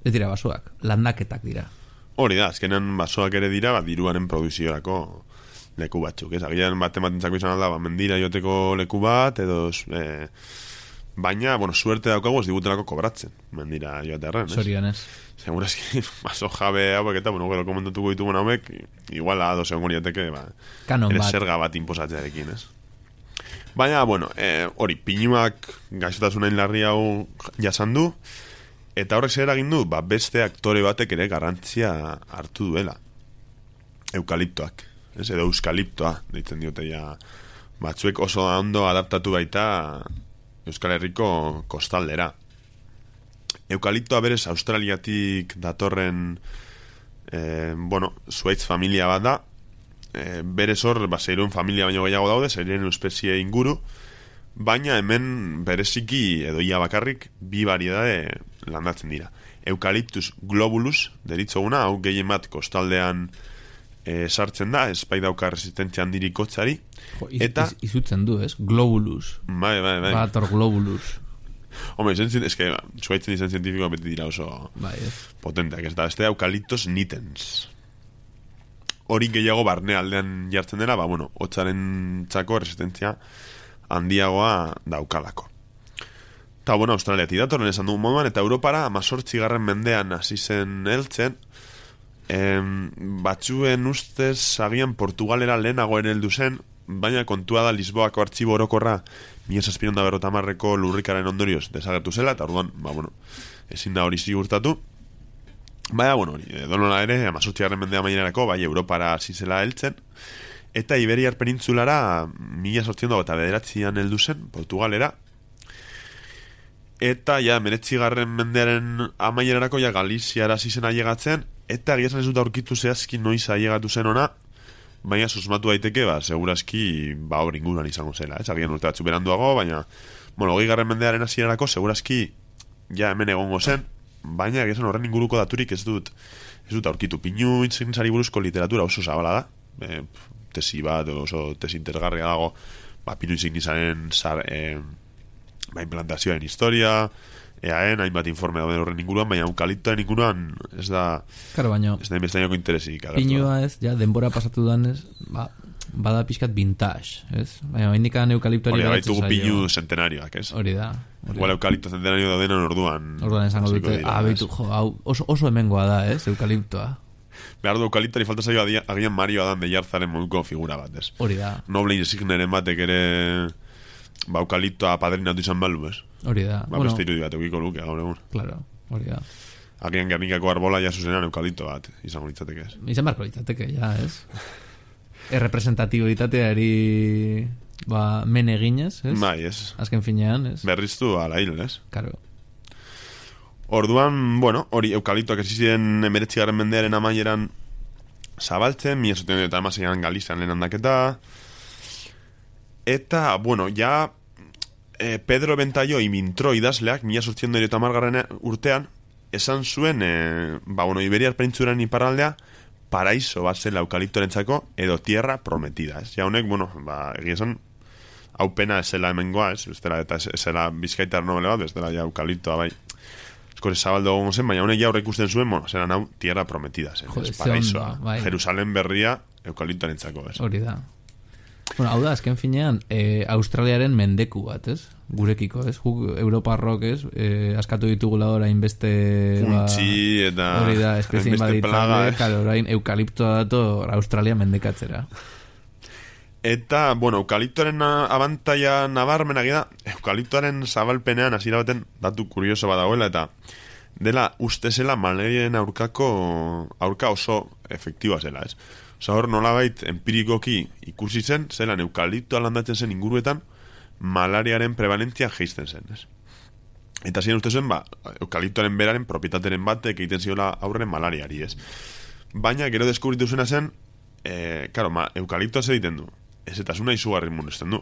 ez dira basoak, landaketak dira. Hori da, azkenean basoak ere dira, diruaren produziorako leku batzuk, ez? Agian bat ematentzako izan alda, mendira joteko leku bat, edo... Baina, bueno, suerte daukagu ez digutelako kobratzen, mendira joatearren, ez? Sorian, ez? Segurazki, baso jabe hauek eta, bueno, gero komentatuko ditugun hauek, igual a dos egon goriateke, ere zerga bat inposatzearekin, ez? Baina, bueno, hori, pinuak gaixotasunain larri hau jasan du, eta horrek zer egin du, beste aktore batek ere garrantzia hartu duela. Eukaliptoak, ez? Edo euskaliptoa, deitzen diote ja, batzuek oso ondo adaptatu baita Euskal Herriko kostaldera. Eukaliptoa berez Australiatik datorren zuaitz familia bat da, berez hor zeiruen familia baino gehiago daude, zeiren espezie inguru, baina hemen bereziki edo ia bakarrik bi variedade landatzen dira. Eukaliptus globulus deritzoguna, hau gehien bat kostaldean sartzen da, espai dauka resistentzia handirik kotzari. Izutzen du, ez? Globulus. Bai. Bator globulus. Hombre, zuaitzen izan zientifikoa beti dira oso potenteak, ez da, beste eukaliptos nitens. Hori gehiago barne aldean jartzen dela, hotzaren txako resistentzia handiagoa daukalako. Eta, Australiatik datorren esan dugun moduan, eta Europara 18. mendean hasi zen heltzen, batzuen ustez agian Portugalera lehenago ere heldu zen, baina kontua da Lisboako artxibo orokorra 1750ko lurrikaren ondorioz desagertu zela, eta orduan, ezin da hori ziurtatu. Baina, donola ere, 18. mendea mainerako, Europara hasi zela heltzen, eta Iberiar penintzulara 1809an heldu zen, Portugalera, eta 19. mendearen amaierarako Galiziara hasi zen ailegatzen, eta egia esan ez dut aurkitu zehazki noiz ailegatu zen ona, baina susmatu daiteke, segurazki hor inguruan izango zela, agian urte batzu beranduago, baina 20. mendearen hasierarako segurazki hemen egongo zen, baina egia esan horren inguruko daturik ez dut aurkitu. Pinu intzikintzari buruzko literatura oso zabala da, tesi bat, oso tesi interesgarria dago, pinu intzikintzaren implantazioaren historia, eaen, hainbat informe dauden horren inguruan, baina eukaliptoaren inguruan ez da inbestainoko interesik. Pinua ez, denbora pasatu danez, bada pixkat vintage, ez? Baina indikan eukaliptoari hori da, baitugu pinu centenarioak, ez? Hori da. Igual eukalipto zentenario daudenan orduan. Orduan esango dute, beitu, hau oso hemengoa da, eukaliptoa. Behar du eukaliptari falta zaio agian Mario Adan de Jarzaren moduko figura bat, ez? Hori da. Noble insigneren batek ere eukaliptoa padrinatu izan balu, ez? Hori da. Beste irudi bat eukiko luke, gaur egun. Claro, hori da. Agian Gernikako arbola ja zuzenan eukalipto bat, izango litzateke, ez? Izan barko litzateke, ja, ez? Errepresentatiboitateari men eginez, ez? Bai, ez. Azken finean, ez? Berriztu ala hil, ez? Karo. Orduan, bueno, hori eukaliptoak ziren 19. mendearen amaieran zabaltzen, 1780 Galizian lehen handaketa, eta, bueno, ja Pedro Bentaio imintro idazleak 1880 urtean esan zuen, Iberiar penintzulan iparraldea paraiso bat zela eukaliptorentzako edo tierra prometida, ez? Ja honek, egia esan, hau pena esela hemengoa, ez? Eta esela bizkaitar nobele bat, ez dela ja eukaliptoa, bai. Eskore zabaldo gongo zen, baina honek ja horrek usten zuen, zelan hau tierra prometida, zen. Joder, paraisoa, bai. Jerusalem berria eukaliptorentzako, ez? Hori da. Bueno, hau da, azken finean, Australiaren mendeku bat, ez? Gurekiko, ez? Europarrok, ez? Askatu ditugula orain beste... Puntxi eta... Hori da, espezien baditzalde, karo, orain eukaliptoa dator Australia mendekatzera. Eta, eukaliptoaren abantaia nabarmenak da, eukaliptoaren zabalpenean hasiera baten datu kurioso badagoela, eta dela uste zela malariaren aurka oso efektiboa zela, ez? Osa hor nolabait empirikoki ikusi zen, zelan eukaliptoa landatzen zen inguruetan malariaren prevalentzia geizten zen, ez? Eta ziren uste zen, eukaliptoaren beraren propietateren batek egiten ziola aurre malariari, ez? Baina gero deskubritu zuena zen, eukaliptoa zer egiten du? Ez eta zuna izugarri munesten du.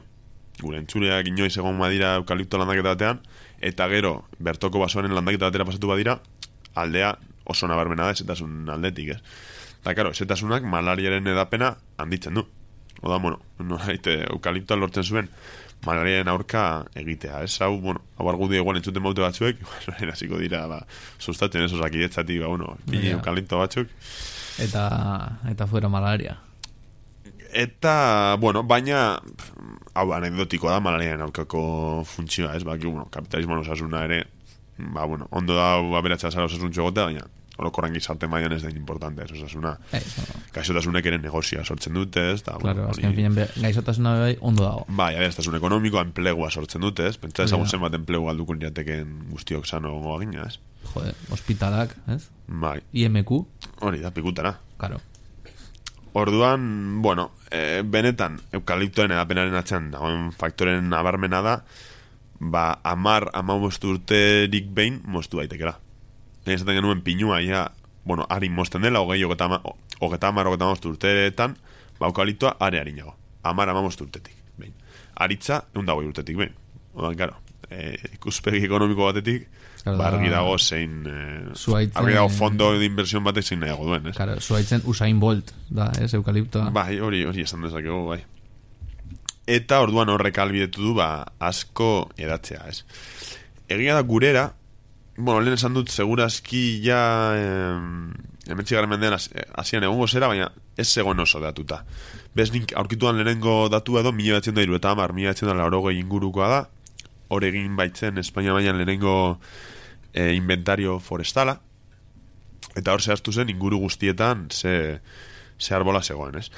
Gure entzuleak inoiz egon badira eukalipto landaketa batean, eta gero bertoko basoaren landaketa batera pasatu badira, aldea oso nabarmena da ezetasun aldetik, ez? Eta, ezetasunak malariaren edapena handitzen du. Oda, eukaliptoa lortzen zuen malariaren aurka egitea, ez? Hau argudio igual entzuten baute batzuek, hasiko dira, sustatzen ez osakidetzatik, eukalipto batzuk. Eta fuera malaria. Eta, baina hau anekdotikoa da malariaren aurkako funtzioa, ez? Kapitalismoan osasuna ere, ondo da aberatsa zara osasuntxo egotea, baina orokorren gizarte mailan ez da importante, ez osasuna. Gaixotasunek ere negozioa sortzen dute, ez? Claro, azken finen gaixotasuna bai ondo dago. Bai, aberastasun ekonomikoa, enplegua sortzen dute, ez? Pentsa ezagun zenbat enplegu alduko lirateken guztiok sano gongo agina, ez? Joder, hospitalak, ez? Bai. IMQ. Hori da, pikutara. Claro. Orduan, benetan eukaliptoen edapenaren atzean dagoen faktoren nabarmena da, 10-15 urterik behin moztu daitekela. Ezaten genuen pinua, harin mozten dela, 20-30 urteetan, eukaliptoa are harinago. 10-15 urtetik behin. Aritza, 120 urtetik behin. Odan, karo, ikuspegi ekonomiko batetik, argi dago zein... Argi dago fondo de inversión batek zein nahiago duen, ez? Claro, zuaitzen Usain Bolt, da, ez, eukaliptoa. Bai, hori esan dezakegu, bai. Eta orduan horrek albidetu du, asko edatzea, ez? Egia da gurera, lehen esan dut, segurazki ja... Hementzigarren mendean hasian egongo zera, baina ez zegoen oso datuta. Nik aurkituan lehenengo datua edo 1980 ingurukoa da, hor egin baitzen Espainia mailan lehenengo inventario forestala, eta hor zehaztu zen inguru guztietan ze arbola zegoen, ez?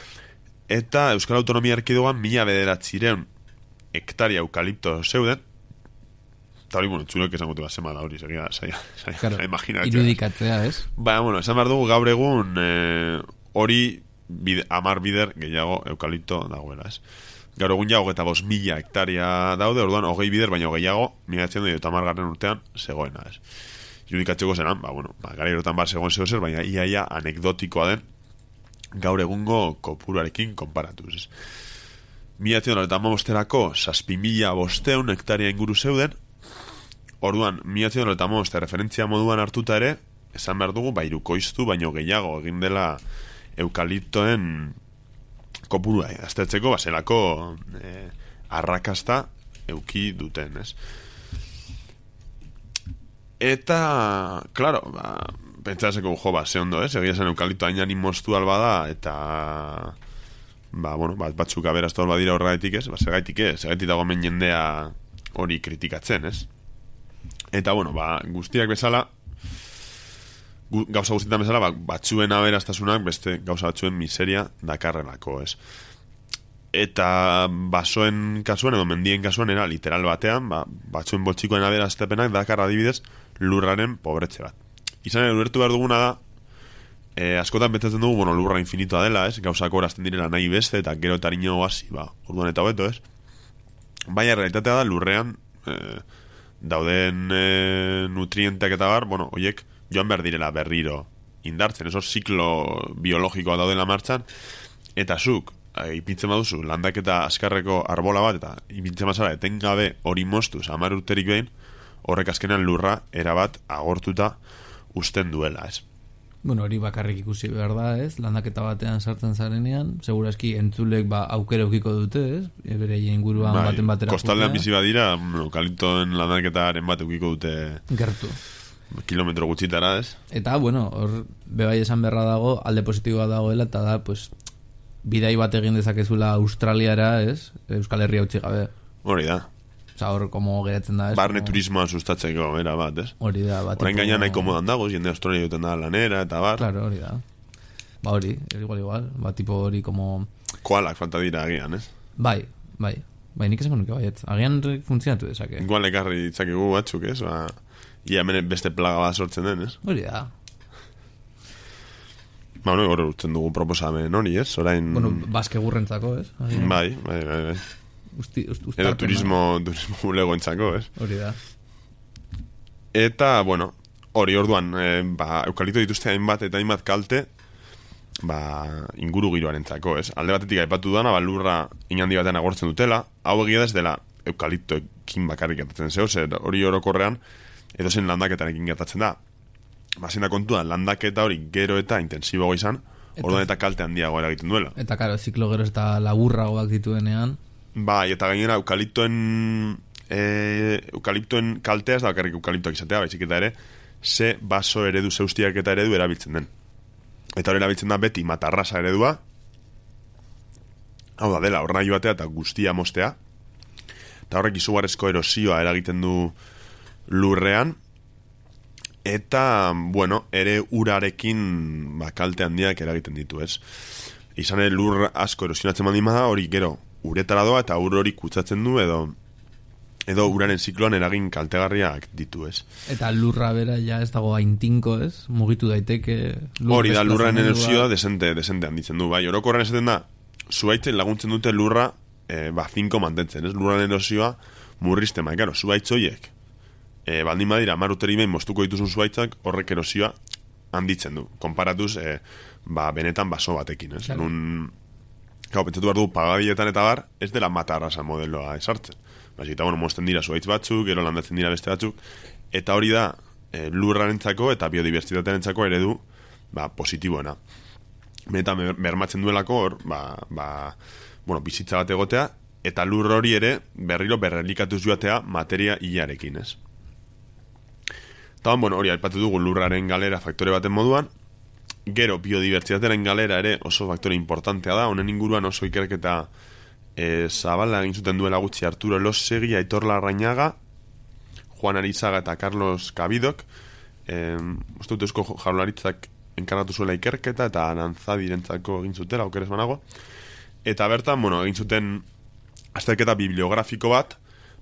Eta Euskal Autonomia Erkidegoan 1900 hektaria eukalipto zeuden, eta hori, txulek esan gote bat zema da hori, segia imaginatzea. Irudikatzea, ez? Baina, esan behar dugu gaur egun hori 10 bider gehiago eukalipto dagoela, ez? Gaur egun ja 25.000 hektaria daude, orduan 20 bider, baina gehiago 1980 urtean zegoena, ez? Irudikatzeko zenan, gara erotan zegoen zer, baina iaia anekdotikoa den gaur egungo kopurarekin konparatuz, ez? 1985 6.500 hektaria inguru zeuden, orduan 1985 referentzia moduan hartuta ere, esan behar dugu, irukoiztu, baino gehiago egin dela eukaliptoen kopurua, aztertzeko, baselako arrakasta euki duten, ez? Eta, klaro, pentsaseko, ze ondo, ez? Egia zen eukalipto hain moztu alba da, eta batzuk aberaztu alba dira horregatik, ez? Segaitik dago men jendea hori kritikatzen, ez? Eta, bueno, guztiak bezala, gauza guztietan bezala, batzuen aberastasunak beste gauza batzuen miseria dakarrelako, ez? Eta basoen kasuan edo mendien kasuan era literal batean, batzuen boltsikoen aberastasunak dakar adibidez lurraren pobretze bat. Izan ere, ulertu behar duguna da, askotan betzatzen dugu, lurra infinitoa dela, ez? Gauzak horazten direla nahi beste, eta gero eta harino hasi, orduan eta hobeto, ez? Baina realitatea da, lurrean dauden nutrienteak eta horiek joan behar direla berriro indartzen, eso ziklo biologikoa daudela martxan, eta zuk, ipintzen baduzu, landaketa askarreko arbola bat, eta ipintzen bazara, etengabe hori moztuz, 10 urterik behin, horrek azkenean lurra erabat agortuta usten duela, ez? Bueno, hori bakarrik ikusi behar da, ez? Landaketa batean sartzen zarenean, segurazki entzulek aukera eukiko dute, ez? Bere inguruan baten batera. Kostaldean bizi badira, eukaliptoen landaketaren bat eukiko dute gertu. Kilometro gutxitara, ez? Eta, hor bebai esan beharra dago, alde positiboa dagoela, eta da, bidai bat egin dezakezula Australiara, ez? Euskal Herria utzi gabe. Hori da. Hor, komo geratzen da, ez? Barne turismoa sustatzeko, era bat, ez? Hori da, bat. Orain gainan nahi komodan dago, jende Australia duten da lanera, eta bar. Claro, hori da. Hori, igual. Tipo hori, como... Koalak falta dira agian, ez? Bai, nik esango nuke baiet. Agian funtzionatu dezake. Igual ekarri ditzakegu batzuk, ez? Ia hemen beste plaga bat sortzen den, ez? Hori da. Hor urtzen dugu proposamen hori, ez? Orain... Baske gurrentzako, ez? Bai. Edo turismo bulegoentzako, ez? Hori da. Eta, hori orduan, eukalipto dituzte hainbat eta hainbat kalte, inguru giroarentzako, ez? Alde batetik aipatu duana, lurra inhandi batean agortzen dutela, hau egia ez dela eukaliptoekin bakarrik gertatzen zeo, zer hori orokorrean, edo zen landaketarekin gertatzen da. Bazen da kontua, landaketa hori gero eta intensiboago izan, orduan eta kalte handiago eragiten duela. Eta, karo, ziklo gero eta laburragoak dituenean. Bai, eta gainera eukaliptoen kaltea ez da bakarrik eukaliptoak izatea, baizik eta ere ze baso eredu, zeustiak eta eredu erabiltzen den. Eta hori erabiltzen da beti matarrasa eredua, hau da dela, horna joatea eta guztia mostea, eta horrek izugarrezko erosioa eragiten du lurrean, eta, ere urarekin kalte handiak eragiten ditu, ez? Izan ere lur asko erosionatzen bada, hori gero uretara doa eta ur hori kutsatzen du edo uraren zikloan eragin kaltegarriak ditu, ez? Eta lurra bera ja ez dago aintinko, ez? Mugitu daiteke... Hori da, lurraren erosioa desente handitzen du, bai. Orokorren esaten da, zuaitzen laguntzen dute lurra finko mantentzen, ez? Lurraren erosioa murrizten, bai, karo, zuaitz horiek. Baldin badira, 10 urteri behin moztuko dituzun zuaitzak, horrek erosioa handitzen du. Konparatuz, benetan baso batekin, ez? Claro. Pentsatu behar du, pagabietan eta bar, ez dela matarrasa modeloa esartzen. Eta, mozten dira zuaitz batzuk, gero landatzen dira beste batzuk, eta hori da lurrarentzako eta biodibertsitatearentzako eredu positiboena. Benetan bermatzen duelako hor, bizitza bat egotea, eta lur hori ere berriro berrelikatuz joatea materia hilarekin, ez? Eta, hori aipatu dugu lurraren galera faktore baten moduan, gero, biodibertsitatearen galera ere oso faktore importantea da, honen inguruan oso ikerketa zabala egin zuten duela gutxi Arturo Elosegui, Aitor Larrañaga, Juan Arizaga eta Carlos Cabidok, uste dut Eusko Jaurlaritzak enkargatu zuela ikerketa eta Arantzadirentzako egin zutela, okeres banago, eta bertan, egin zuten azterketa bibliografiko bat,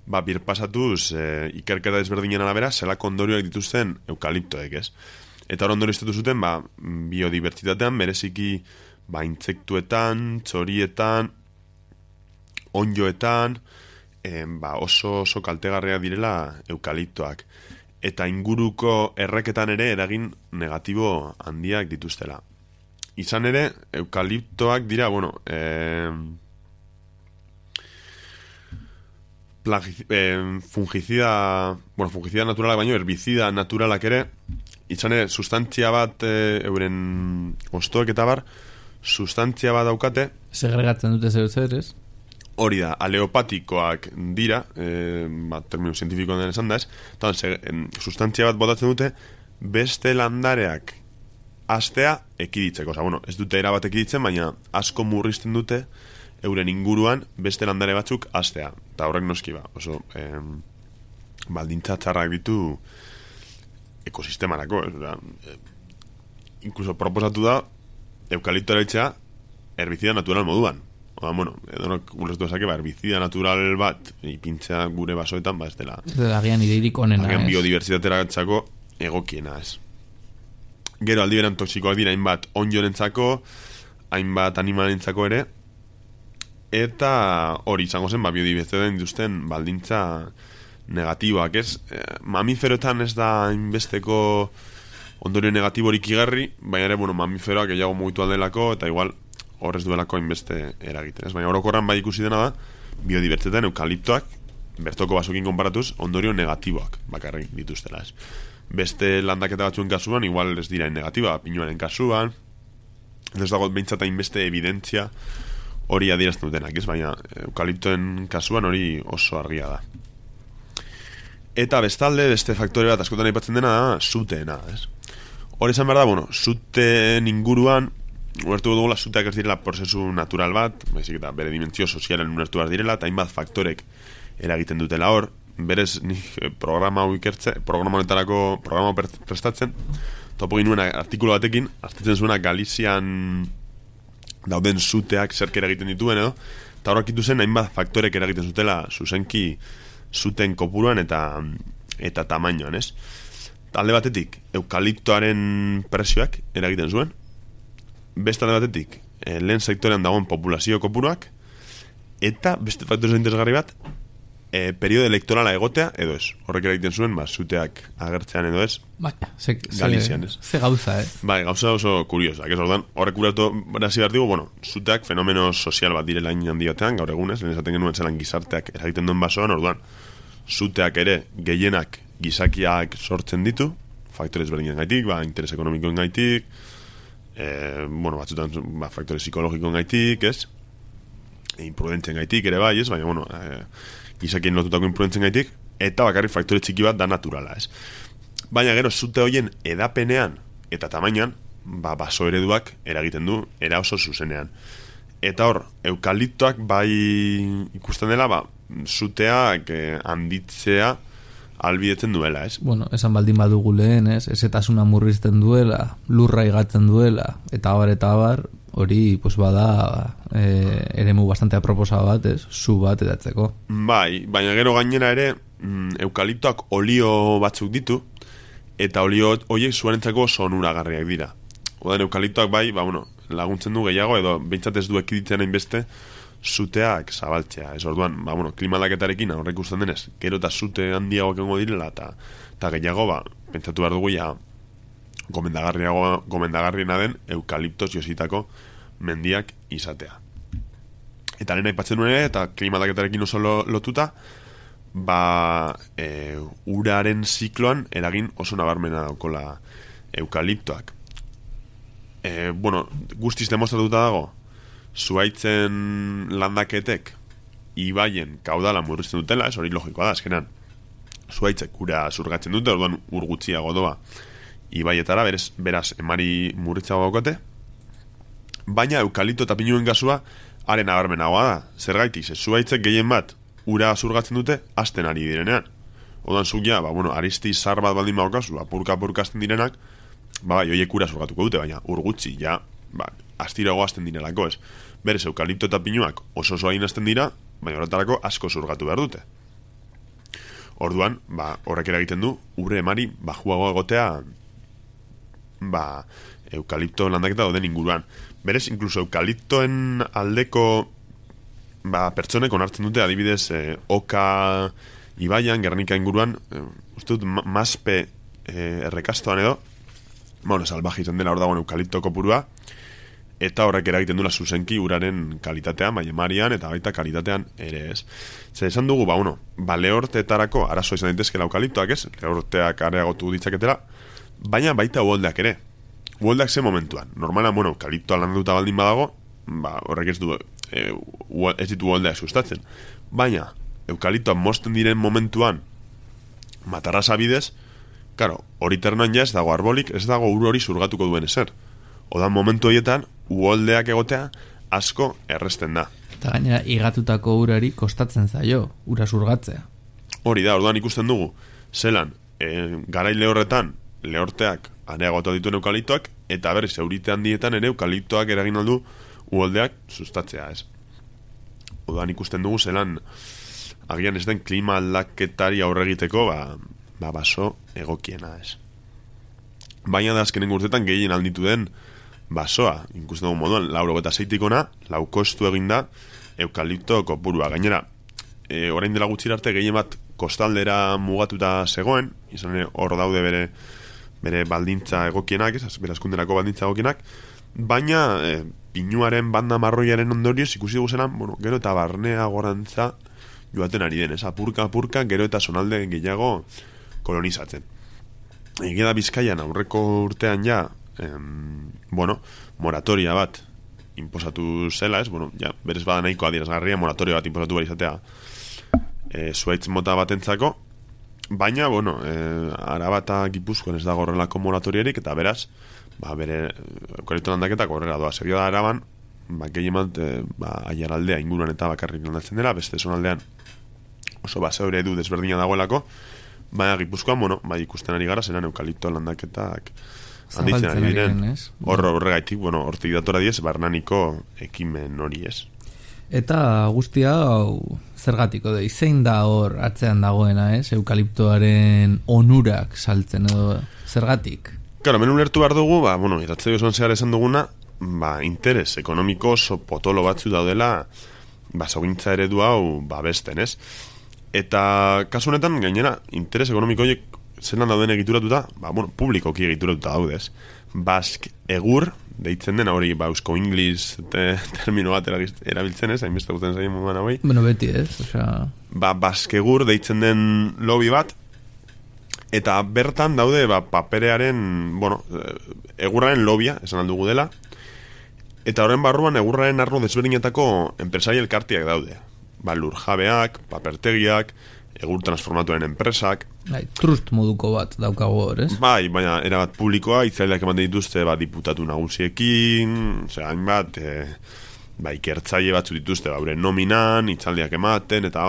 birpasatuz ikerketa desberdinen arabera, zelako ondorioak dituzten eukaliptoek, ez? Eta hor ondorio estatu zuten, biodibertsitatean, bereziki, intsektuetan, txorietan, onjoetan, oso kaltegarria direla eukaliptoak. Eta inguruko erreketan ere eragin negatibo handiak dituztela. Izan ere, eukaliptoak dira, fungizida naturalak baino, herbizida naturalak ere, izan ere, sustantzia bat euren ostoek eta bar, sustantzia bat daukate. Segregatzen dute zer, ez? Hori da, aleopatikoak dira, termino zientifikoan den esan da ez, sustantzia bat botatzen dute, beste landareak astea ekiditzeko. Ez dute erabat ekiditzen, baina asko murrizten dute euren inguruan beste landare batzuk astea. Eta horrek noski oso baldintza txarrak ditu ekosistemarako. Incluso proposatu da eukalipto erabiltzea herbizida natural moduan. Oda, bueno, edonok ulertu esake, herbizida natural bat ipintzea gure basoetan, ez dela. Ez dela agian ideirik onena, agian biodibertsitatera gatzako egokiena, ez. Gero aldi beran toksikoak dira hainbat onjorentzako, hainbat animalentzako ere, eta hori izango zen, biodibertsitatean dituzten baldintza negatiboak, ez? Mamiferoetan ez da hainbesteko ondorio negatiborik igarri, baina ere, mamiferoak gehiago mugitu aldelako, eta igual horrez duelako hainbeste eragiten, ez? Baina orokorran bai ikusi dena da, biodibertsitatean eukaliptoak, bertoko basokin konparatuz, ondorio negatiboak bakarrik dituztela, ez? Beste landaketa batzuen kasuan, igual ez dira negatiba, pinuaren kasuan, ez dago behintzat hainbeste evidentzia hori adierazten dutenak, ez? Baina eukaliptoen kasuan hori oso argia da. Eta bestalde, beste faktore bat askotan aipatzen dena da, zuteena, ez? Hori esan behar da, zuteen inguruan, ulertu dugula, zuteak ez direla prozesu natural bat, baizik eta bere dimentsio sozialen ulertu behar direla, eta hainbat faktorek eragiten dutela hor, berez nik programa honetarako programa prestatzen, topo ginuen artikulu batekin, aztetzen zuena Galizian dauden zuteak zerk eragiten dituen, edo, eta horrekitu zen hainbat faktorek eragiten zutela zuzenki zuten kopuruan eta tamainoan, ez? Alde batetik, eukaliptoaren presioak eragiten zuen, beste alde batetik, lehen sektorean dagoen populazio kopuruak, eta beste faktoren interesgarri bat, periodo elektorala egotea, edo ez. Horrek eragiten zuen, zuteak agertzean edo ez. Galizian, ez? Ze gauza, Bai, gauza oso kuriosak, ez ordan, horrek uratu berazi behar digu, zuteak fenomeno sozial bat direla handi batean, gaur egunez, lehen esaten genuen zelan gizarteak eragiten duen basoan, orduan, zuteak ere gehienak gizakiak sortzen ditu, faktorez berdinen gaitik, interes ekonomikoen gaitik, batzutan faktore psikologikoen gaitik, ez? Imprudentzen gaitik ere bai, ez? Baina, gizakien lotutako imprudentzen gaitik, eta bakarrik faktore txiki bat da naturala, ez? Baina gero, zute hoien edapenean eta tamainan, baso ereduak eragiten du, era oso zuzenean. Eta hor, eukaliptoak bai ikusten dela, zuteak handitzea albidetzen duela, ez? Esan baldin badugu lehen, ez? Ezetasuna murrizten duela, lurra igatzen duela, eta abar, hori, bada eremu bastante aproposa bat, ez? Zu bat edatzeko. Bai, baina gero gainera ere, eukaliptoak olio batzuk ditu, eta olio horiek zuarentzako sonuragarriak dira. Odan eukaliptoak bai, laguntzen du gehiago, edo behintzat ez du ekiditzen hainbeste, zuteak zabaltzea, ez orduan, klima aldaketarekin horrek ikusten denez, gero eta zute handiagoak egongo direla, eta gehiago, pentsatu behar dugu ja, gomendagarriena den eukaliptos jositako mendiak izatea. Eta lehen aipatzen nuen, eta klima aldaketarekin oso lotuta, uraren zikloan eragin oso nabarmena daukola eukaliptoak. Guztiz demostratuta dago, zuaitzen landaketek ibaien kaudala murrizten dutela, ez hori logikoa da, azkenan zuaitzek ura zurgatzen dute, orduan urgutziago doa ibaietara, beraz emari murritzago daukote, baina eukalipto eta pinuen gasua haren abarmenagoa da, zergaitik, zuaitzek gehien bat ura zurgatzen dute hasten ari direnean, orduan zuk ja, aristi zar bat baldin baukazu, apurka hasten direnak, joiek ura zurgatuko dute, baina urgutzi, ja, astirago hasten direlako, ez. Berez, eukalipto eta pinuak oso hain hasten dira, baina horretarako asko zurgatu behar dute. Orduan, horrek eragiten du, ure emari bajuago egotea, eukalipto landaketa dauden inguruan. Berez, inkluso eukaliptoen aldeko pertsonek onartzen dute, adibidez, Oka ibaian, Gernika inguruan, uste dut, Maspe errekastoan edo, salvaje izan dela hor dagoen eukalipto kopurua, eta horrek eragiten dula zuzenki uraren kalitatean, emarian, eta baita kalitatean ere ez. Zer esan dugu, lehorteetarako arazo izan daitezkela eukaliptoak ez, lehorteak areagotu ditzaketela, baina baita uholdeak ere. Uholdeak ze momentuan. Normalan, eukaliptoa landatuta baldin badago, horrek ez ditu uholdeak sustatzen. Baina, eukaliptoa mozten diren momentuan, matarrasa bidez, hori ternoan ja ez dago arbolik, ez dago ur hori zurgatuko duen ezer. Odan momentu horietan, uholdeak egotea asko erresten da. Eta gainera, igatutako urari kostatzen zaio, ura zurgatzea. hori da, orduan ikusten dugu, zelan, garaile horretan, lehorteak areagotu dituen eukaliptoak, eta berriz, eurite handietan ere eukaliptoak eragin aldu uholdeak sustatzea, ez. Orduan ikusten dugu, zelan, agian ez den klima aldaketari aurre egiteko, baso egokiena, ez. Baina da azkenen urtetan gehien alditu den basoa, ikusten dugu moduan, 96-tikona, laukostu eginda eukalipto kopurua. Gainera, orain dela gutxi arte gehien bat kostaldera mugatuta zegoen, izan ere hor daude bere baldintza egokienak, bere askunderako baldintza egokienak, baina pinuaren banda marroiaren ondorioz ikusi dugu zelan, gero eta barnea gorantza joaten ari den, apurka, gero eta zonalde gehiago kolonizatzen. Egia da Bizkaian aurreko urtean ja, moratoria bat inposatu zela, berez bada nahiko adierazgarria moratoria bat inposatu behar izatea zuaitz mota batentzako, baina, Araba eta Gipuzkoan ez dago horrelako moratoriarik, eta beraz, bere eukalipto landaketak horrela doa. Serio da Araban, gehien bat, Aiaraldea inguruan eta bakarrik landatzen dela, beste zonaldean oso baseo eredu desberdina dagoelako, baina Gipuzkoan, ikusten ari gara, zeran eukalipto landaketak handitzen ari diren. Horregaitik, hortik datora diez, barnaniko ekimen hori ez. Eta guztia, zergatiko da, zein da hor atzean dagoena, eukaliptoaren onurak saltzen edo zergatik? Claro, hemen ulertu behar dugu, iratzei osoan zehar esan duguna, interes ekonomiko oso potolo batzu daudela, basogintza eredu hau babesten, ez? Eta kasu honetan, gainera, interes ekonomiko horiek zelan dauden egituratuta, publikoki egituratuta daudez. Bask egur, deitzen dena hori, eusko inglis termino bat erabiltzen ez, hainbeste guten zaien moduan hori. Beti ez, Bask egur deitzen den lobby bat, eta bertan daude paperearen, egurraren lobbya, esan aldugu dela, eta horren barruan egurraren arlo desberdinetako enpresari elkartiak daude. Lurjabeak, papertegiak, egur transformatuaren enpresak. Trust moduko bat daukago hor, ez? Baina erabat publikoa, itzaileak eman dituzte diputatu nagusiekin, hainbat, ikertzaile batzu dituzte, nominan, itzaldiak ematen, eta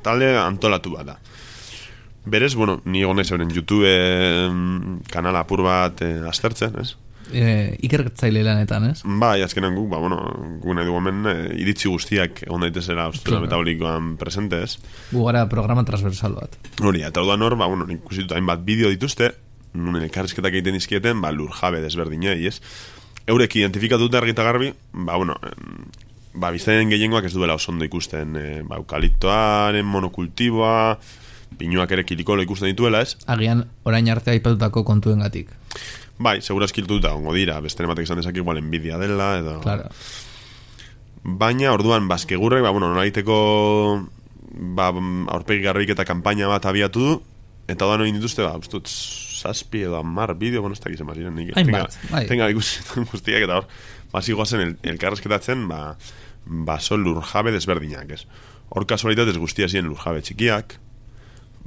talde antolatu bat da. Berez, ni egon naiz euren YouTube kanala apur bat aztertzen, ez? Ikertzaile lanetan, ez? Azkenan guk, guk nahi dugu hemen iritzi guztiak egon daitezela ostura metabolikoan presente, ez? Gu gara programa transversal bat. Hori, eta orduan hor, ikusituta hainbat bideo dituzte, nunen elkarrizketak egiten dizkieten, lurjabe desberdinei, ez? Eurek identifikatuta argita garbi, biztainen gehiengoak ez duela osondo ikusten, eukaliptoaren monokultiboa, pinuak ere kilikolo ikusten dituela, ez? Agian, orain arte aipatutako kontuengatik. Segura eskiltuta ongo dira, beste ematek izan dezak igual enbidia dela, edo... Claro. Baina, orduan, bazkegurrek, nolaiteko aurpegi garrik eta kanpaina bat abiatu du, eta da noin dituzte, ustut, 7 edo 10 bideo, ez da gizem baziren, tenga ikusten guztiak, eta hor, zigoazen elkarrezketatzen, baso lurjabe desberdinak, ez. Hor kasualitatez guztia ziren lurjabe txikiak,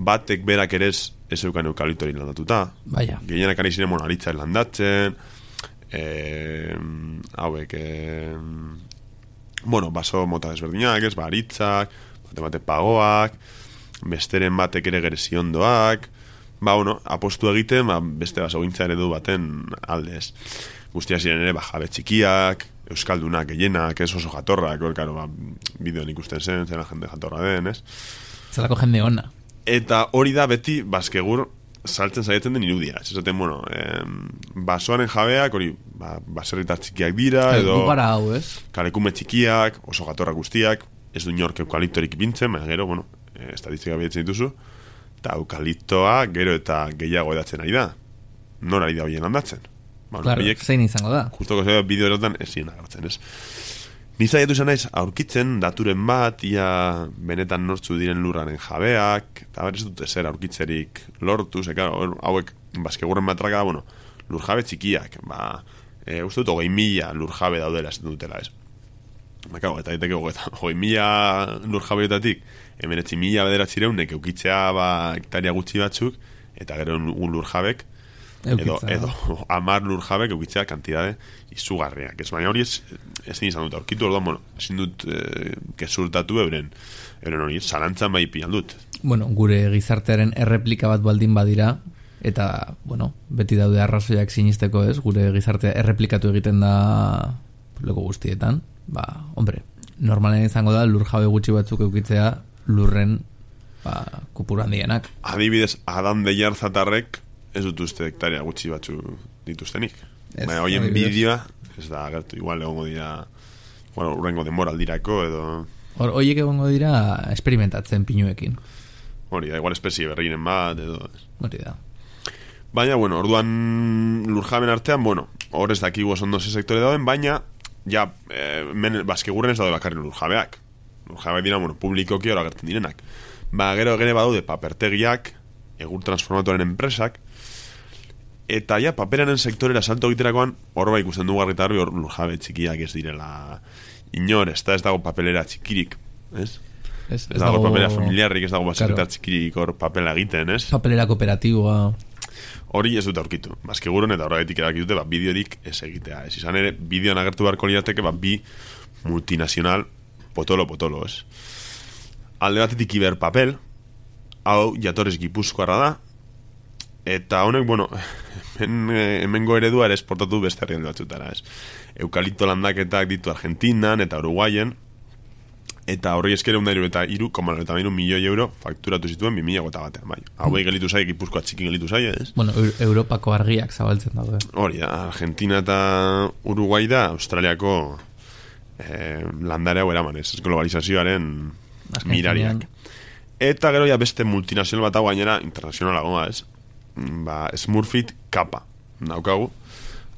batek berak ere ez eukan eukaliptori landatuta. Gehienak ari ziren monalitza landatzen, hauek, baso mota desberdinak, ez, aritzak, bate pagoak, besteren batek ere gereziondoak, apostu egiten, beste baso gintza eredu baten aldez. Guztia ziren ere, jabe txikiak, euskaldunak, gehienak, ez oso jatorrak, bideoan ikusten zen, zela jende jatorra den, ez? Zelako jende ona. Eta hori da beti bazkegur saltzen zaietzen den irudia. Ez esaten, basoaren jabeak, hori, baserritar txikiak dira, edo... Gugara hau, ez? Kalekume txikiak, oso gatorrak guztiak, ez du inork eukaliptorik ipintzen, baina gero, estatistika bietzen dituzu, eta eukaliptoa gero eta gehiago edatzen ari da. Nor ari da horien handatzen. Claro, zein izango da. Justoko zeo bideo erotan ez ziren agartzen, ez? Nizaiatu izan naiz, aurkitzen daturen bat, ia benetan nortzu diren lurraren jabeak, eta berez dute zer aurkitzerik lortu, hauek bazkegurren batraka, lurjabe txikiak, uste dut 20.000 lurjabe daudela ez dutela, ez? Eta diteke 20.000 lurjabeetatik, 19.000 bederatzireun, eukitzea hektaria gutxi batzuk, eta gero un lurjabek, edo 10 lur jabek eukitzea kantidade izugarriak. Ez baina hori ezin izan dut aurkitu, orduan, bueno, ezin dut gezurtatu euren hori, zalantzan bai pian dut. Bueno, gure gizartearen erreplika bat baldin badira, eta, bueno, beti daude arrazoiak sinisteko ez, gure gizartea erreplikatu egiten da loko guztietan, hombre, normalen izango da lur jabe gutxi batzuk eukitzea lurren kopuru handienak. Adibidez, Adan Deiarzatarrek ez dut uste hektaria gutxi batzu dituztenik. Baina hoien bideoa ez da agertu, igual egongo dira urrengo denboraldirako edo... Horiek egongo dira experimentatzen pinuekin. Hori da, igual espezie berriren bat edo... Hori da. Baina, bueno, orduan lurjaben artean, bueno, hor ez dakigu oso ondo ze sektore dauden, baina ja, baskegurren ez daude bakarri lurjabeak. Lurjabeak dira, bueno, publikoki hor agertzen direnak. Gero badaude papertegiak, egur transformatoren enpresak, eta ja, paperaren sektorera salto egiterakoan, hor ikusten dugu garrita harbi, hor lurjabe txikiak ez direla inor, ez dago papelera txikirik, ez? Ez dago papelera familiarrik, ez dago basekretar txikirik hor papela egiten, ez? Papelera kooperatiboa... Hori ez dut aurkitu. Bazkegurun eta horregatik edakitute, bideorik ez egitea. Ez izan ere, bideoan agertu beharko lirateke, bi multinazional potolo, ez? Alde batetik Iberpapel, hau jatorez Gipuzkoarra da, eta honek, bueno, hemengo eredua ere esportatu beste herrialde batzutara, ez? Eukalipto landaketak ditu Argentinan eta Uruguayen, eta horri esker 1,93 milioi euro fakturatu zituen 2001 bai. Hauei gelitu zai, Gipuzkoa txiki gelitu zai, ez? Bueno, Europako argiak zabaltzen daude. Hori da, Argentina eta Uruguai da Australiako landare hau eraman, ez? Globalizazioaren mirariak. Eta gero ja beste multinazional bat hau gainera internazionalagoa, ez? Smurfit Kappa daukagu.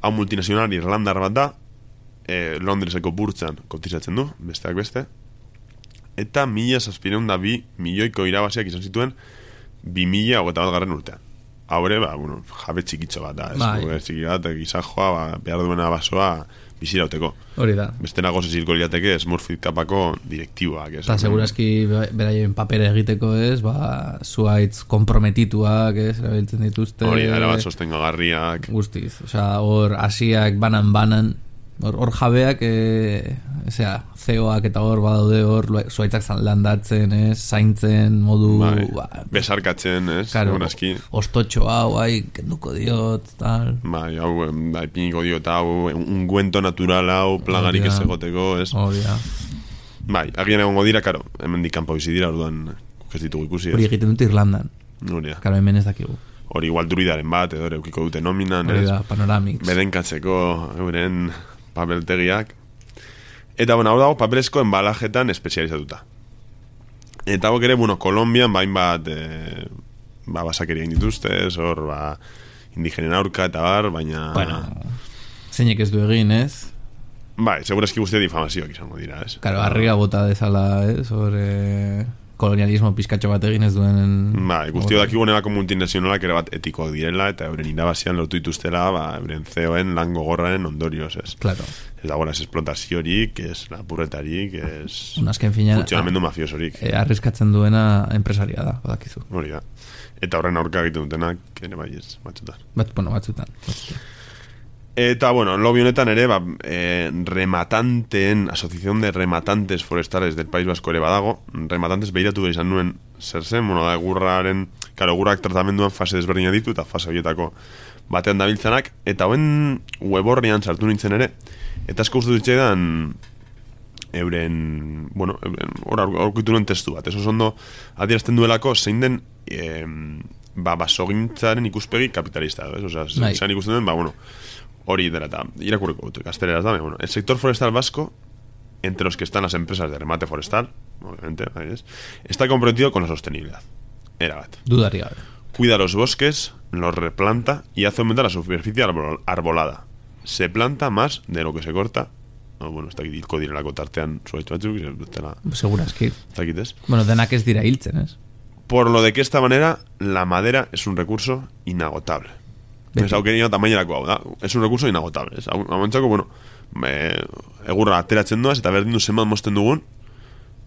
Hau multinazional irlandar bat da, Londreseko burtsan kotizatzen du, besteak beste. Eta 1.002 milioiko irabaziak izan zituen 2021 urtean. Haure, jabe txikitxo bat da, ez? Txiki bat, gizajoa, behar duena basoa bizirauteko. Hori da. Bestena goze zirko liateke Smurfit Kapako direktiboak, ez? Eta segurazki beraien papera egiteko, ez? Zuaitz komprometituak, ez? Erabiltzen dituzte. Hori da, erabat sostengagarriak. Guztiz, hor asiak banan, hor jabeak, zeoak eta hor badaude hor zuaitzak landatzen, zaintzen, modu... besarkatzen, ez? Claro, ostotxo hau, kenduko diot, tal... hau, piniko diot, hau, ungüento natural hau, plagarik ez egoteko, ez? Hori da. Agian egongo dira, karo, hemen dikampo bizi dira, orduan, ez ditugu ikusi, ez? Hori egiten dute Irlandan. Hori da. Karo, hemen ez dakigu. Hori igual druidaren bat, edo eukiko dute nominan, ez? Hori da, Panoramix. Bedenkatzeko, euren... papeltegiak. Eta, hau dago papelezko embalajetan espezializatuta. Eta hau ere, Kolombian bain bat basakeria dituzte, hor, indigenen aurka eta baina... Zeinek ez du egin, ez? segurazki guztia difamazioak izango dira, ez? Karo, harriga bota dezala, ez? Kolonialismo pizkatxo bat egin ez duen... guztio dakigu nebako multinazionalak ere bat etikoak direla, eta euren irabazian lortu dituztela, euren CEO-en lan gogorraren ondorioz, ez? Claro. Ez dago ez esplotaziorik, ez lapurretarik, ez... Azken finean... funtzionamendu mafiosorik. Arriskatzen duena enpresaria da, badakizu. Hori da. Eta horren aurka egiten dutenak, ere bai ez, batzutan. Batzutan. Eta, lobby honetan ere, Asociación de Rematantes Forestales del País Vasco ere badago. Rematantes behiratu izan nuen zer zen, da egurraren, egurak tratamenduan fase desberdina ditu, eta fase horietako batean dabiltzanak, eta hoen web horrian sartu nintzen ere, eta asko uste dutxean euren, hor aurkitu nuen testu bat, ez oso ondo adierazten duelako zein den basogintzaren ikuspegi kapitalista, ez? Zein ikusten duen, hori dela eta irakurriko dut, gazteleraz da, el sector forestal vasco, entre los que están las empresas de remate forestal, obviamente, está comprometido con la sostenibilidad. Erabat. Dudaría. Cuida los bosques, los replanta y hace aumentar la superficie arbolada. Se planta más de lo que se corta. Ez dakit hilko direlako tartean zuaitz batzuk. Segurazki. Ez dakit, ez? Denak ez dira hiltzen, ez? Por lo de que esta manera la madera es un recurso inagotable. Ez aukerina tamainerako hau da. Es un recurso inagotable. Hau egurra ateratzen doaz eta berdin du zenbat mosten dugun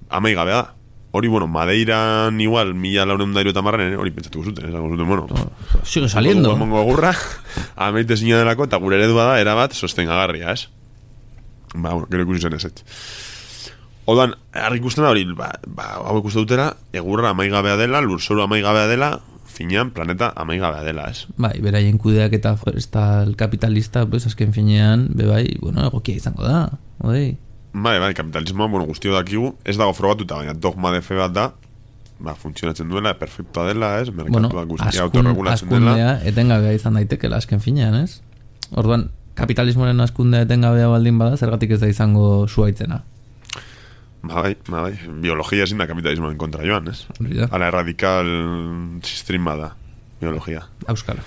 amaigabea da. hori, bueno, Madeiran igual 1480 hori pentsatuko zuten, esango zuten, bueno, sigue saliendo. Emango egurra, ameite zina delako, eta gure eredua da, erabat, sostengagarria, ez? Bueno, gero ikusi zen ez. Odan, argi ikusten da hori, hau ikusten dutera, egurra amaigabea dela, lurzoru amaigabea dela, finean planeta amaigabea dela, ez? Bai, beraien kudeak eta forestal kapitalista, pues, azken finean, bai, bueno, egokia izango da, oi. Bai, kapitalismoa, bueno, guztio dakigu, ez dago frogatuta, baina dogma de fe bat da, funtzionatzen duela, perfectoa dela, ez? Merkatuak guztia autorregulatzen dela. Askundea etengabea izan daitekela azken finean, ez? Orduan, kapitalismoaren askundea etengabea baldin bada, zergatik ez da izango zuaitzena. Bai, biologia ezin da kapitalismoaren kontra joan, ez? Ala erradikal sistrin bada, biologia. Euskara.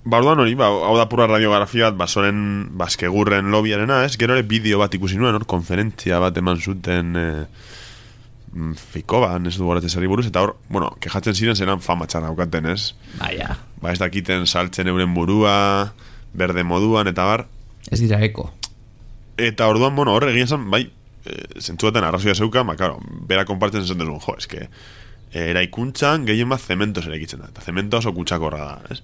Orduan hori, hau da pura radiografia bat, basoren baskegurren lobiarena, ez? Gero ere bideo bat ikusi nuen, konferentzia bat eman zuten Fikoban, ez du goratzen zari buruz, eta hor, bueno, kejatzen ziren zelan fama txarra aukaten, ez? Baina. Ez dakiten saltzen euren burua, berde moduan, eta bar. Ez dira eko. Eta orduan, bueno, hor egin zan, bai, zentzu baten arrazoia zeuka, claro, bera konpartzen zen duzun, jo, eske, eraikuntzan gehien bat zementos eraikitzen da, eta zemento oso kutsakorra da, ez?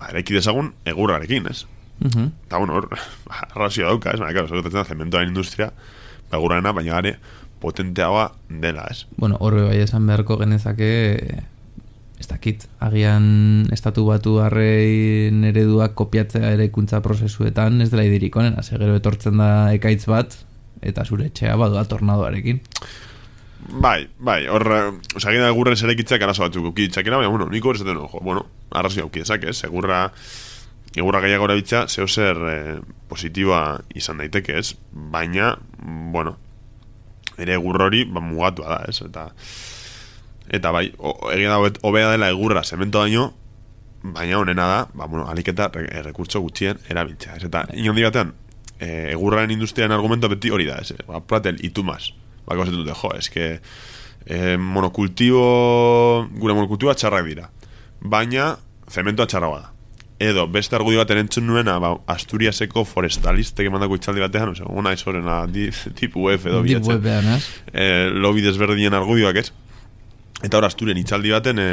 Eraiki dezagun egurrarekin, ez? Eta, bueno, hor, arrazioa dauka, ez? Claro, zegoetzen da zementoaren industria, egurrarena, baina gare potenteagoa dela, ez? Bueno, horre bai esan beharko genezake, ez dakit, agian estatu batu harrein ereduak kopiatzea eraikuntza prozesuetan, ez dela idirik onena, gero etortzen da ekaitz bat, eta zure etxea badua tornadoarekin. Bai, hor, osagina egurren zerekitzak arazo batzuk ukitzakera, baina, bueno, niko horrezaten, bueno, arrazio ukitzak, ez? Egurra gehiago erabiltza, zeo zer positiboa izan daiteke, ez? Baina, bueno, ere egurra hori, mugatua da, ez? Eta bai, egin da hobea dela egurra zemento baino, baina honena da, bueno, aliketa rekurtso gutxien erabiltza, ez? Eta inondi batean, egurraren industriaren argumento beti hori da, ez? Platel, itumaz. Bako zetu dute, jo, eske gure monokultiboa txarrak dira, baina zementoa txarragoa da. Edo, beste argudio bat entzun nuena, Asturiaseko forestalistek emandako itxaldi batean, ona ez horrena, tipu web edo bilatzen. Lobi desberdinen argudioak, ez? Eta hor, Asturien itxaldi baten,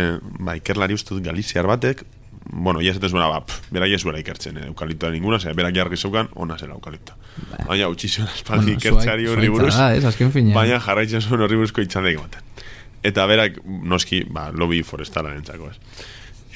ikerlari ustut galiziar batek, bueno, ya esaten zuena, berak ez zuela ikertzen, eukaliptoa ninguna, berak jarri zeukan, ona zela eukaliptoa. Baina, utxizioan espaldi ikertzari horri buruz, baina jarraitzen zuen horri buruzko itxaldeik baten. Eta berak, noski, lobby forestala nentzako, ez.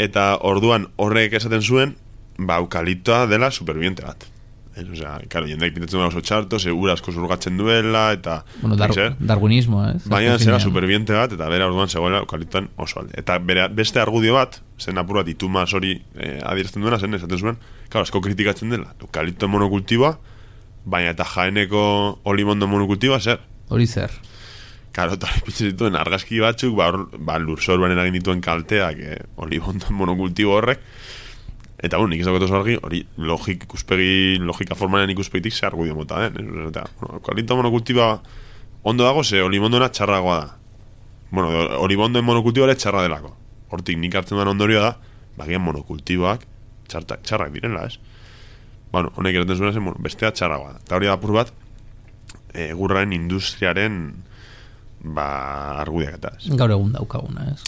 Eta orduan horrek esaten zuen, eukaliptoa dela superviviente bat. Osea, claro, jendeak pintatzen duela oso txarto, ura asko zurgatzen duela, eta... Bueno, darwinismo, ez? Baina zera superviviente bat, eta bera orduan zegoela eukaliptoan oso alde. Eta beste argudio bat, zen apur bat itumaz hori adierazten duena, zen esaten zuen, claro, asko kritikatzen dela, eukalipto monokultiboa, baina eta Jaeneko olimondo monokultiboa zer? Hori zer? Claro, eta hori pintzen dituen argazki batzuk, lurzoruan eragin dituen kalteak olimondo monokultibo horrek. Eta nik ez dagoetu argi, hori logika formalen ikuspegitik ze argudio mota den. Eta, eukalipto monokultiboa ondo dago, ze olimondona txarragoa da. Bueno, olimondoen monokultiboa ere txarra delako. Hortik nik hartzen duan ondorioa da, bagian monokultiboak txarrak direla, ez? Bueno, honek eraten zuen zen, bestea txarragoa da. Eta hori da apur bat, egurraren industriaren argudiak eta, ez? Gaur egun daukaguna, ez?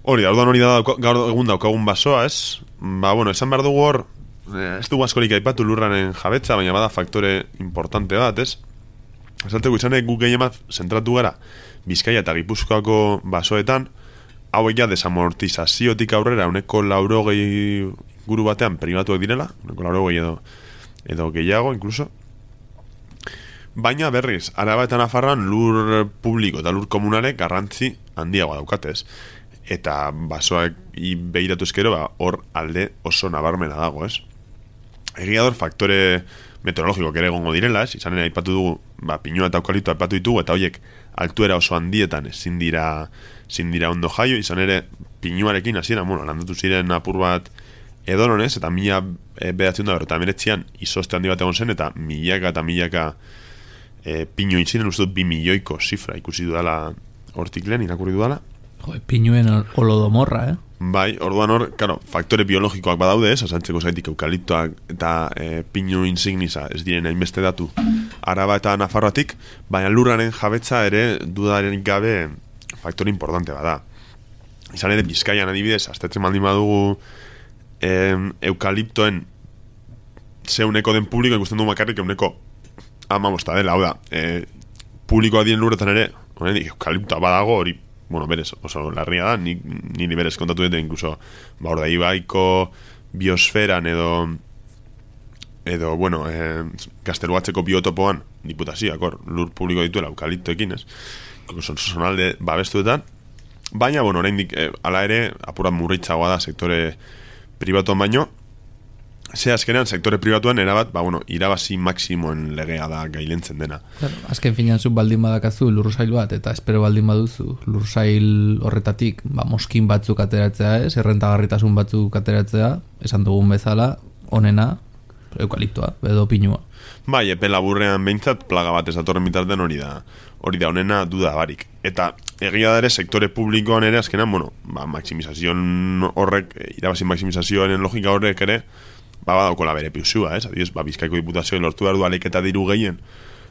Hori da, gaur egun daukagun basoa, ez? Bueno, esan behar dugu hor, ez dugu askorik aipatu lurraren jabetza, baina bada faktore importante bat, ez? Esateko izanek guk gehien bat zentratu gara Bizkaia eta Gipuzkoako basoetan, hauek ja desamortizaziotik aurrera uneko 80 guru batean pribatuak direla, uneko 80 edo gehiago, inkluso. Baina berriz, Araba eta Nafarroan lur publiko eta lur komunale garrantzi handiagoa daukatez. Eta basoak behiratu ezkero, hor alde oso nabarmena dago, ez? Egia dor faktore meteorologiko ere egongo direla, ez? Izan ere aipatu dugu, pinua eta eukaliptoa aipatu ditugu, eta horiek altuera oso handietan ezin dira ondo jaio, izan ere pinuarekin hasiera, landatu ziren apur bat edononez, eta 1989an izoste handi bat egon zen, eta milaka pinu itziren, uste dut 2 milioiko zifra ikusi dudala hortik lehen, irakurri dudala. Pinuen holodomorra, Bai, orduan hor, claro, faktore biologikoak badaude, asantzeko zaitik eukaliptoak eta pinu insignisa ez diren hainbeste datu Araba eta Nafarroatik, baina lurraren jabetza ere dudaren gabe faktore importante bada. Izan ere, Bizkaian adibidez, astetzen baldin badugu eukaliptoen zeuneko den publiko ikusten du makarrik euneko amabosta dela, hau da, publikoa dien lurretan ere, eukaliptoa badago hori, bueno, berez, oso larria da, niri berez kontatu dute, incluso, hor da, Ibaiko biosferan edo bueno, Gazteluatzeko biotopoan, diputazioak, lur publiko dituela eukaliptoekin, ez? Sonalde babestuetan, baina, bueno, oraindik hala ere, apurat murritzagoa da sektore pribatuan baino, ze azkenean sektore pribatuan erabat, irabazi maksimoen legea da gailentzen dena. Claro, azken finean zu baldin badakazu lursail bat, eta espero baldin baduzu lursail horretatik moskin batzuk ateratzea, errentagarritasun batzuk ateratzea, esan dugun bezala, onena, eukaliptoa, edo pinua. Bai, epe laburrean behintzat plaga bat ezatorren bitartean hori da onena duda barik. Eta egia da ere sektore publikoan ere azkenan, maximizazion horrek, irabazi maximizazioaren logika horrek ere, badaukola bere piusua, Adibidez, Bizkaiko diputazioa lortu behar du aleketa diru gehien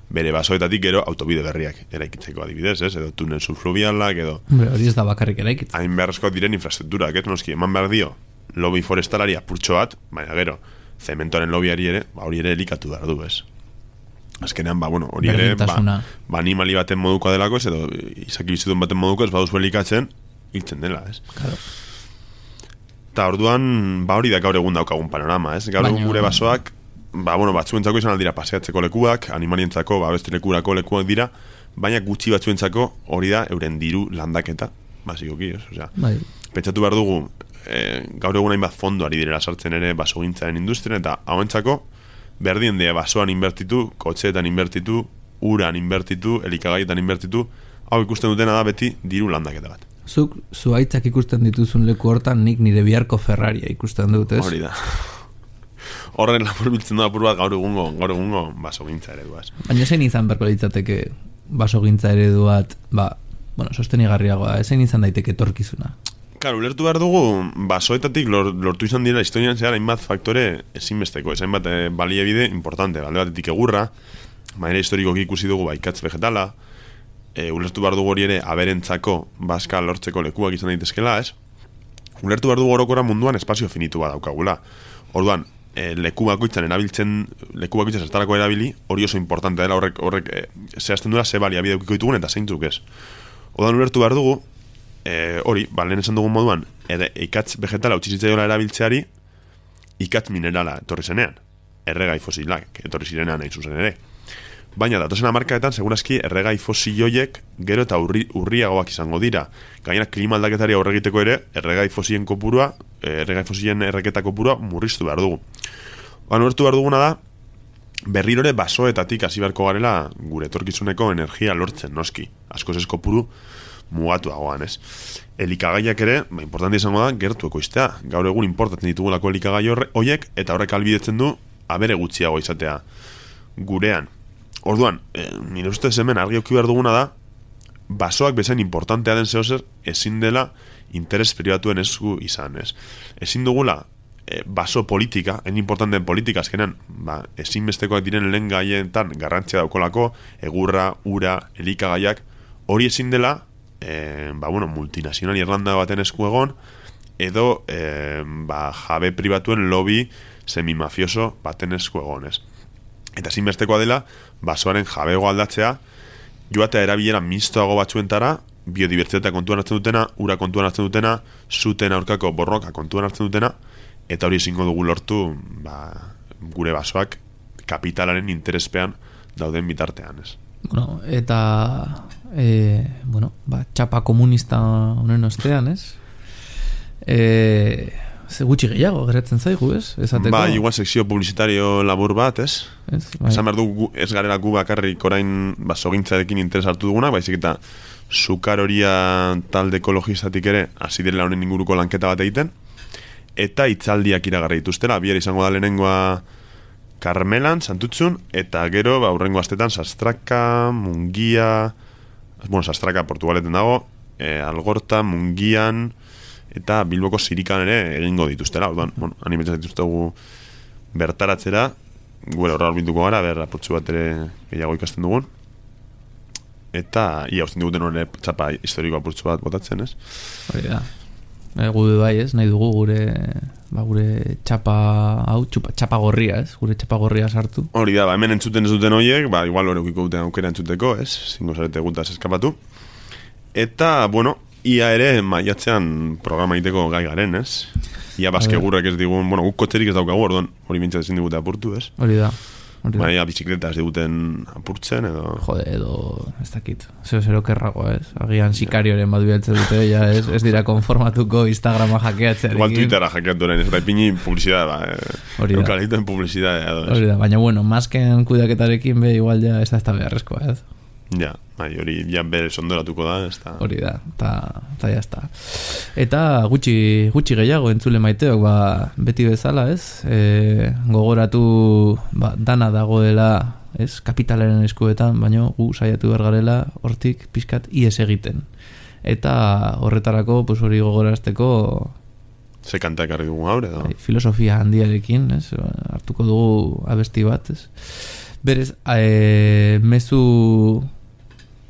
bere basoetatik gero autobide berriak eraikitzeko adibidez, edo tunel subfluvialak, edo... Hori ez da bakarrik eraikitzen. Hain beharrezko diren infrastrukturak, noski, eman behar dio lobby forestalari apurtxo bat, baina gero, zementoren lobbyari ere, hori ere elikatu behar du, Azkenean, hori ere, animali baten modukoa delako, edo izaki bizituen baten moduko, baduzu elikatzen, hiltzen dela, Claro. Eta orduan, hori da gaur egun daukagun panorama, Gaur egun gure basoak, batzuentzako izan aldira paseatzeko lekuak, animalientzako, beste lekurako lekuak dira, baina gutxi batzuentzako hori da euren diru landaketa, basikoki, pentsatu behar dugu, gaur egun hainbat fondo ari direla sartzen ere basogintzaren industrian, eta hauentzako berdien dea basoan inbertitu, kotxeetan inbertitu, uran inbertitu, elikagaietan inbertitu, hau ikusten dutena da beti diru landaketa bat. Zuk zuaitzak ikusten dituzun leku hortan nik nire biharko Ferraria ikusten dut, ez? Hori da. Horren lapur biltzen da apur bat gaur egungo basogintza eredua. Baina zein izan berko litzateke basogintza eredu bat, sostenigarriagoa, zein izan daiteke etorkizuna? Claro, ulertu behar dugu, basoetatik lortu izan dira historian zehar hainbat faktore ezinbesteko, hainbat baliabide importante, alde batetik egurra, maera historikoki ikusi dugu ikatz vegetala, ulertu behar dugu hori ere aberentzako baska lortzeko lekuak izan daitezkela, ulertu behar dugu orokora munduan espazio finitu bat daukagula. Orduan, leku bakoitzan zertarako erabili, hori oso importante dela horrek zehazten duela ze baliabide eukiko ditugun eta zeintzuk ez. Orduan ulertu behar dugu, hori, lehen esan dugun moduan, ikatz vegetala utxizitzaiola erabiltzeari, ikatz minerala etorri zenean, erregai fosilak etorri zirenean nahi zuzen ere. Baina datozen hamarkadetan segurazki erregai fosilioiek gero eta urriagoak izango dira. Gainera klima aldaketari aurre egiteko ere erregai fosilien kopurua, erregai fosilien erreketa kopurua murriztu behar dugu. Ulertu behar duguna da berrirore basoetatik hasi beharko garela gure etorkizuneko energia lortzen, noski. Askoz ez kopuru mugatuagoan, Elikagaiak ere, importante izango da, gertu ekoiztea. Gaur egun importatzen ditugulako elikagai horiek, eta horrek albidetzen du abere gutxiago izatea gurean. Orduan, nire ustez hemen argi auki behar duguna da, basoak bezain importantea den zehozer, ezin dela interes pribatuen esku izan, Ezin dugula, baso politika, hain importanteen politika, azkenean, ezinbestekoak diren lehen gaietan garrantzia daukolako, egurra, ura, elikagaiak, hori ezin dela, multinazional irlanda baten esku egon, edo jabe pribatuen lobby semimafioso baten esku egon, Eta ezinbestekoa dela, basoaren jabego aldatzea, joatea erabilera mistoago batzuentara, biodibertsitatea kontuan hartzen dutena, ura kontuan hartzen dutena, zuten aurkako borroka kontuan hartzen dutena, eta hori ezingo dugu lortu gure basoak kapitalaren interespean dauden bitartean, Eta txapa komunista honen ostean, ze gutxi gehiago geratzen zaigu, esateko. Igual sekzio publizitario labur bat, Esan behar du ez garela gu bakarrik orain basogintzarekin interes hartu duguna, baizik eta sukar horia talde ekologistatik ere hasi direla honen inguruko lanketa bat egiten, eta hitzaldiak iragarri dituztela, bihar izango da lehenengoa Karmelan, Santutzun, eta gero, aurrengo astetan Sastraka, Mungia, Sastraka Portugaleten dago, Algorta, Mungian, eta Bilboko Sirikan ere egingo dituztela, orduan, bueno, animetzen dituztegu bertaratzera, gure horra bilduko gara, apurtxu bat ere gehiago ikasten dugun, eta ia usten diguten hori txapa historiko apurtxu bat botatzen, ez? Hori da. Gu bai, ez, nahi dugu gure txapa hau, txapa gorria, ez? Gure txapa gorria sartu. Hori da, hemen entzuten ez duten horiek, igual hori ukiko duten aukera entzuteko, ez? Zingo zarete gutaz eskapatu. Eta, bueno, ia ere maiatzean programa egiteko gai garen, ez? Ia baskegurrek ez digun, bueno, guk kotxerik ez daukagu, orduan hori mintzatzen ezin digute apurtu, ez? Hori da. Baina bizikleta ez diguten apurtzen, edo... Jode, edo, ez dakit, zero kerragoa, ez? Agian sikarioren bat bialtzen dute, ja, ez dira konformatuko Instagrama hackeatzea. Igual Twittera hackeatu orain, ez da ipini publicidad, Hori da. Eukaliptoen publicidad, edo, ez? Hori da, baina, bueno, masken kudeaketarekin igual ja ez da beharrezkoa, ez? Ja, hori ja bere sondoratuko da, ez da... Hori da, eta jazta. Eta gutxi gehiago entzule maiteok, beti bezala, ez? Gogoratu dana dagoela, ez? Kapitalaren eskuetan, baina gu saiatu bergarela hortik pixkat ies egiten. Eta horretarako, pues hori gogorazteko... Ze kanta ekarri dugu gaur, edo? Filosofia handiarekin, ez? Hartuko dugu abesti bat, ez? Berez, mezu...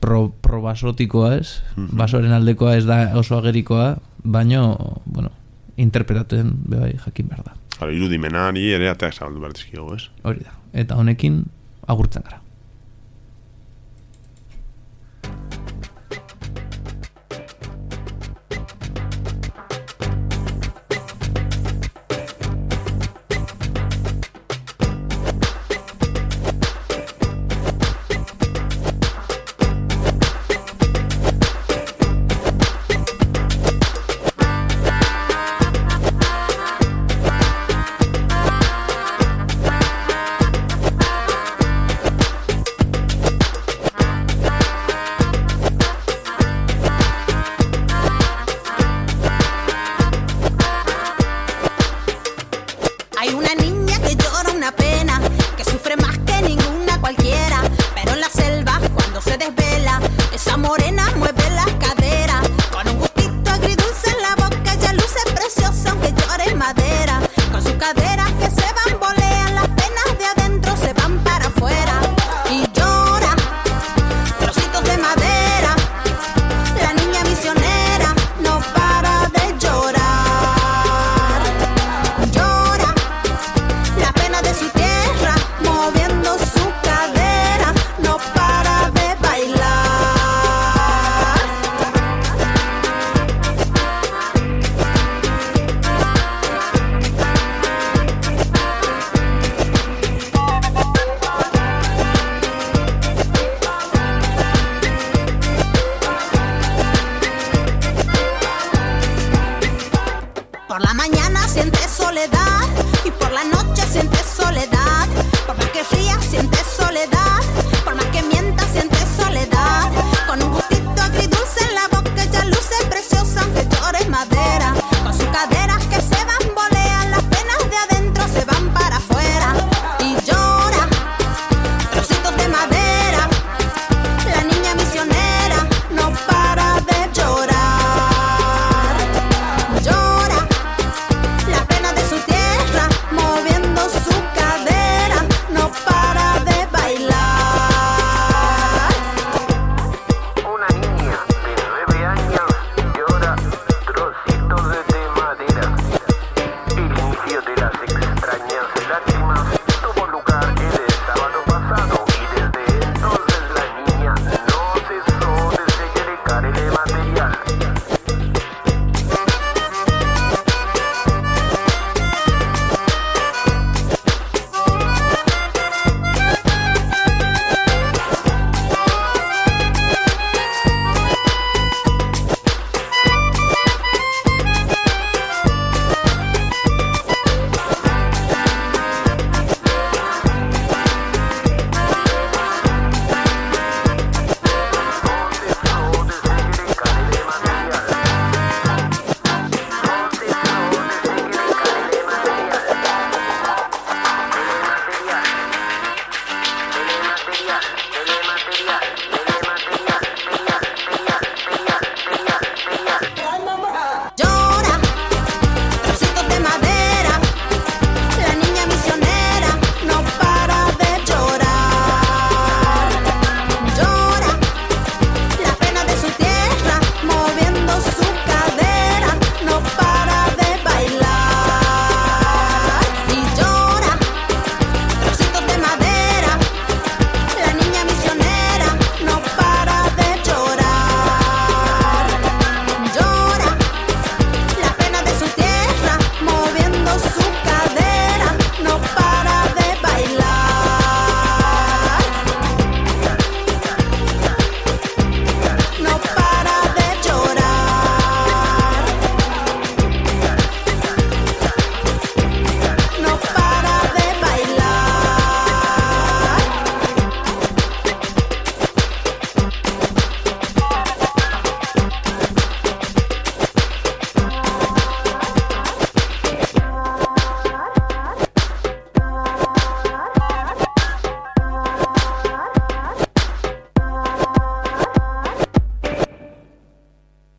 Probasotikoa, ez? Basoren aldekoa ez da oso agerikoa, baino, bueno, interpretatzen bai jakin behar da. Claro, irudimenari ere ateak zabaldu behar dizkigu, ez? Hori da. Eta honekin agurtzen gara. Hay una niña que llora una pena.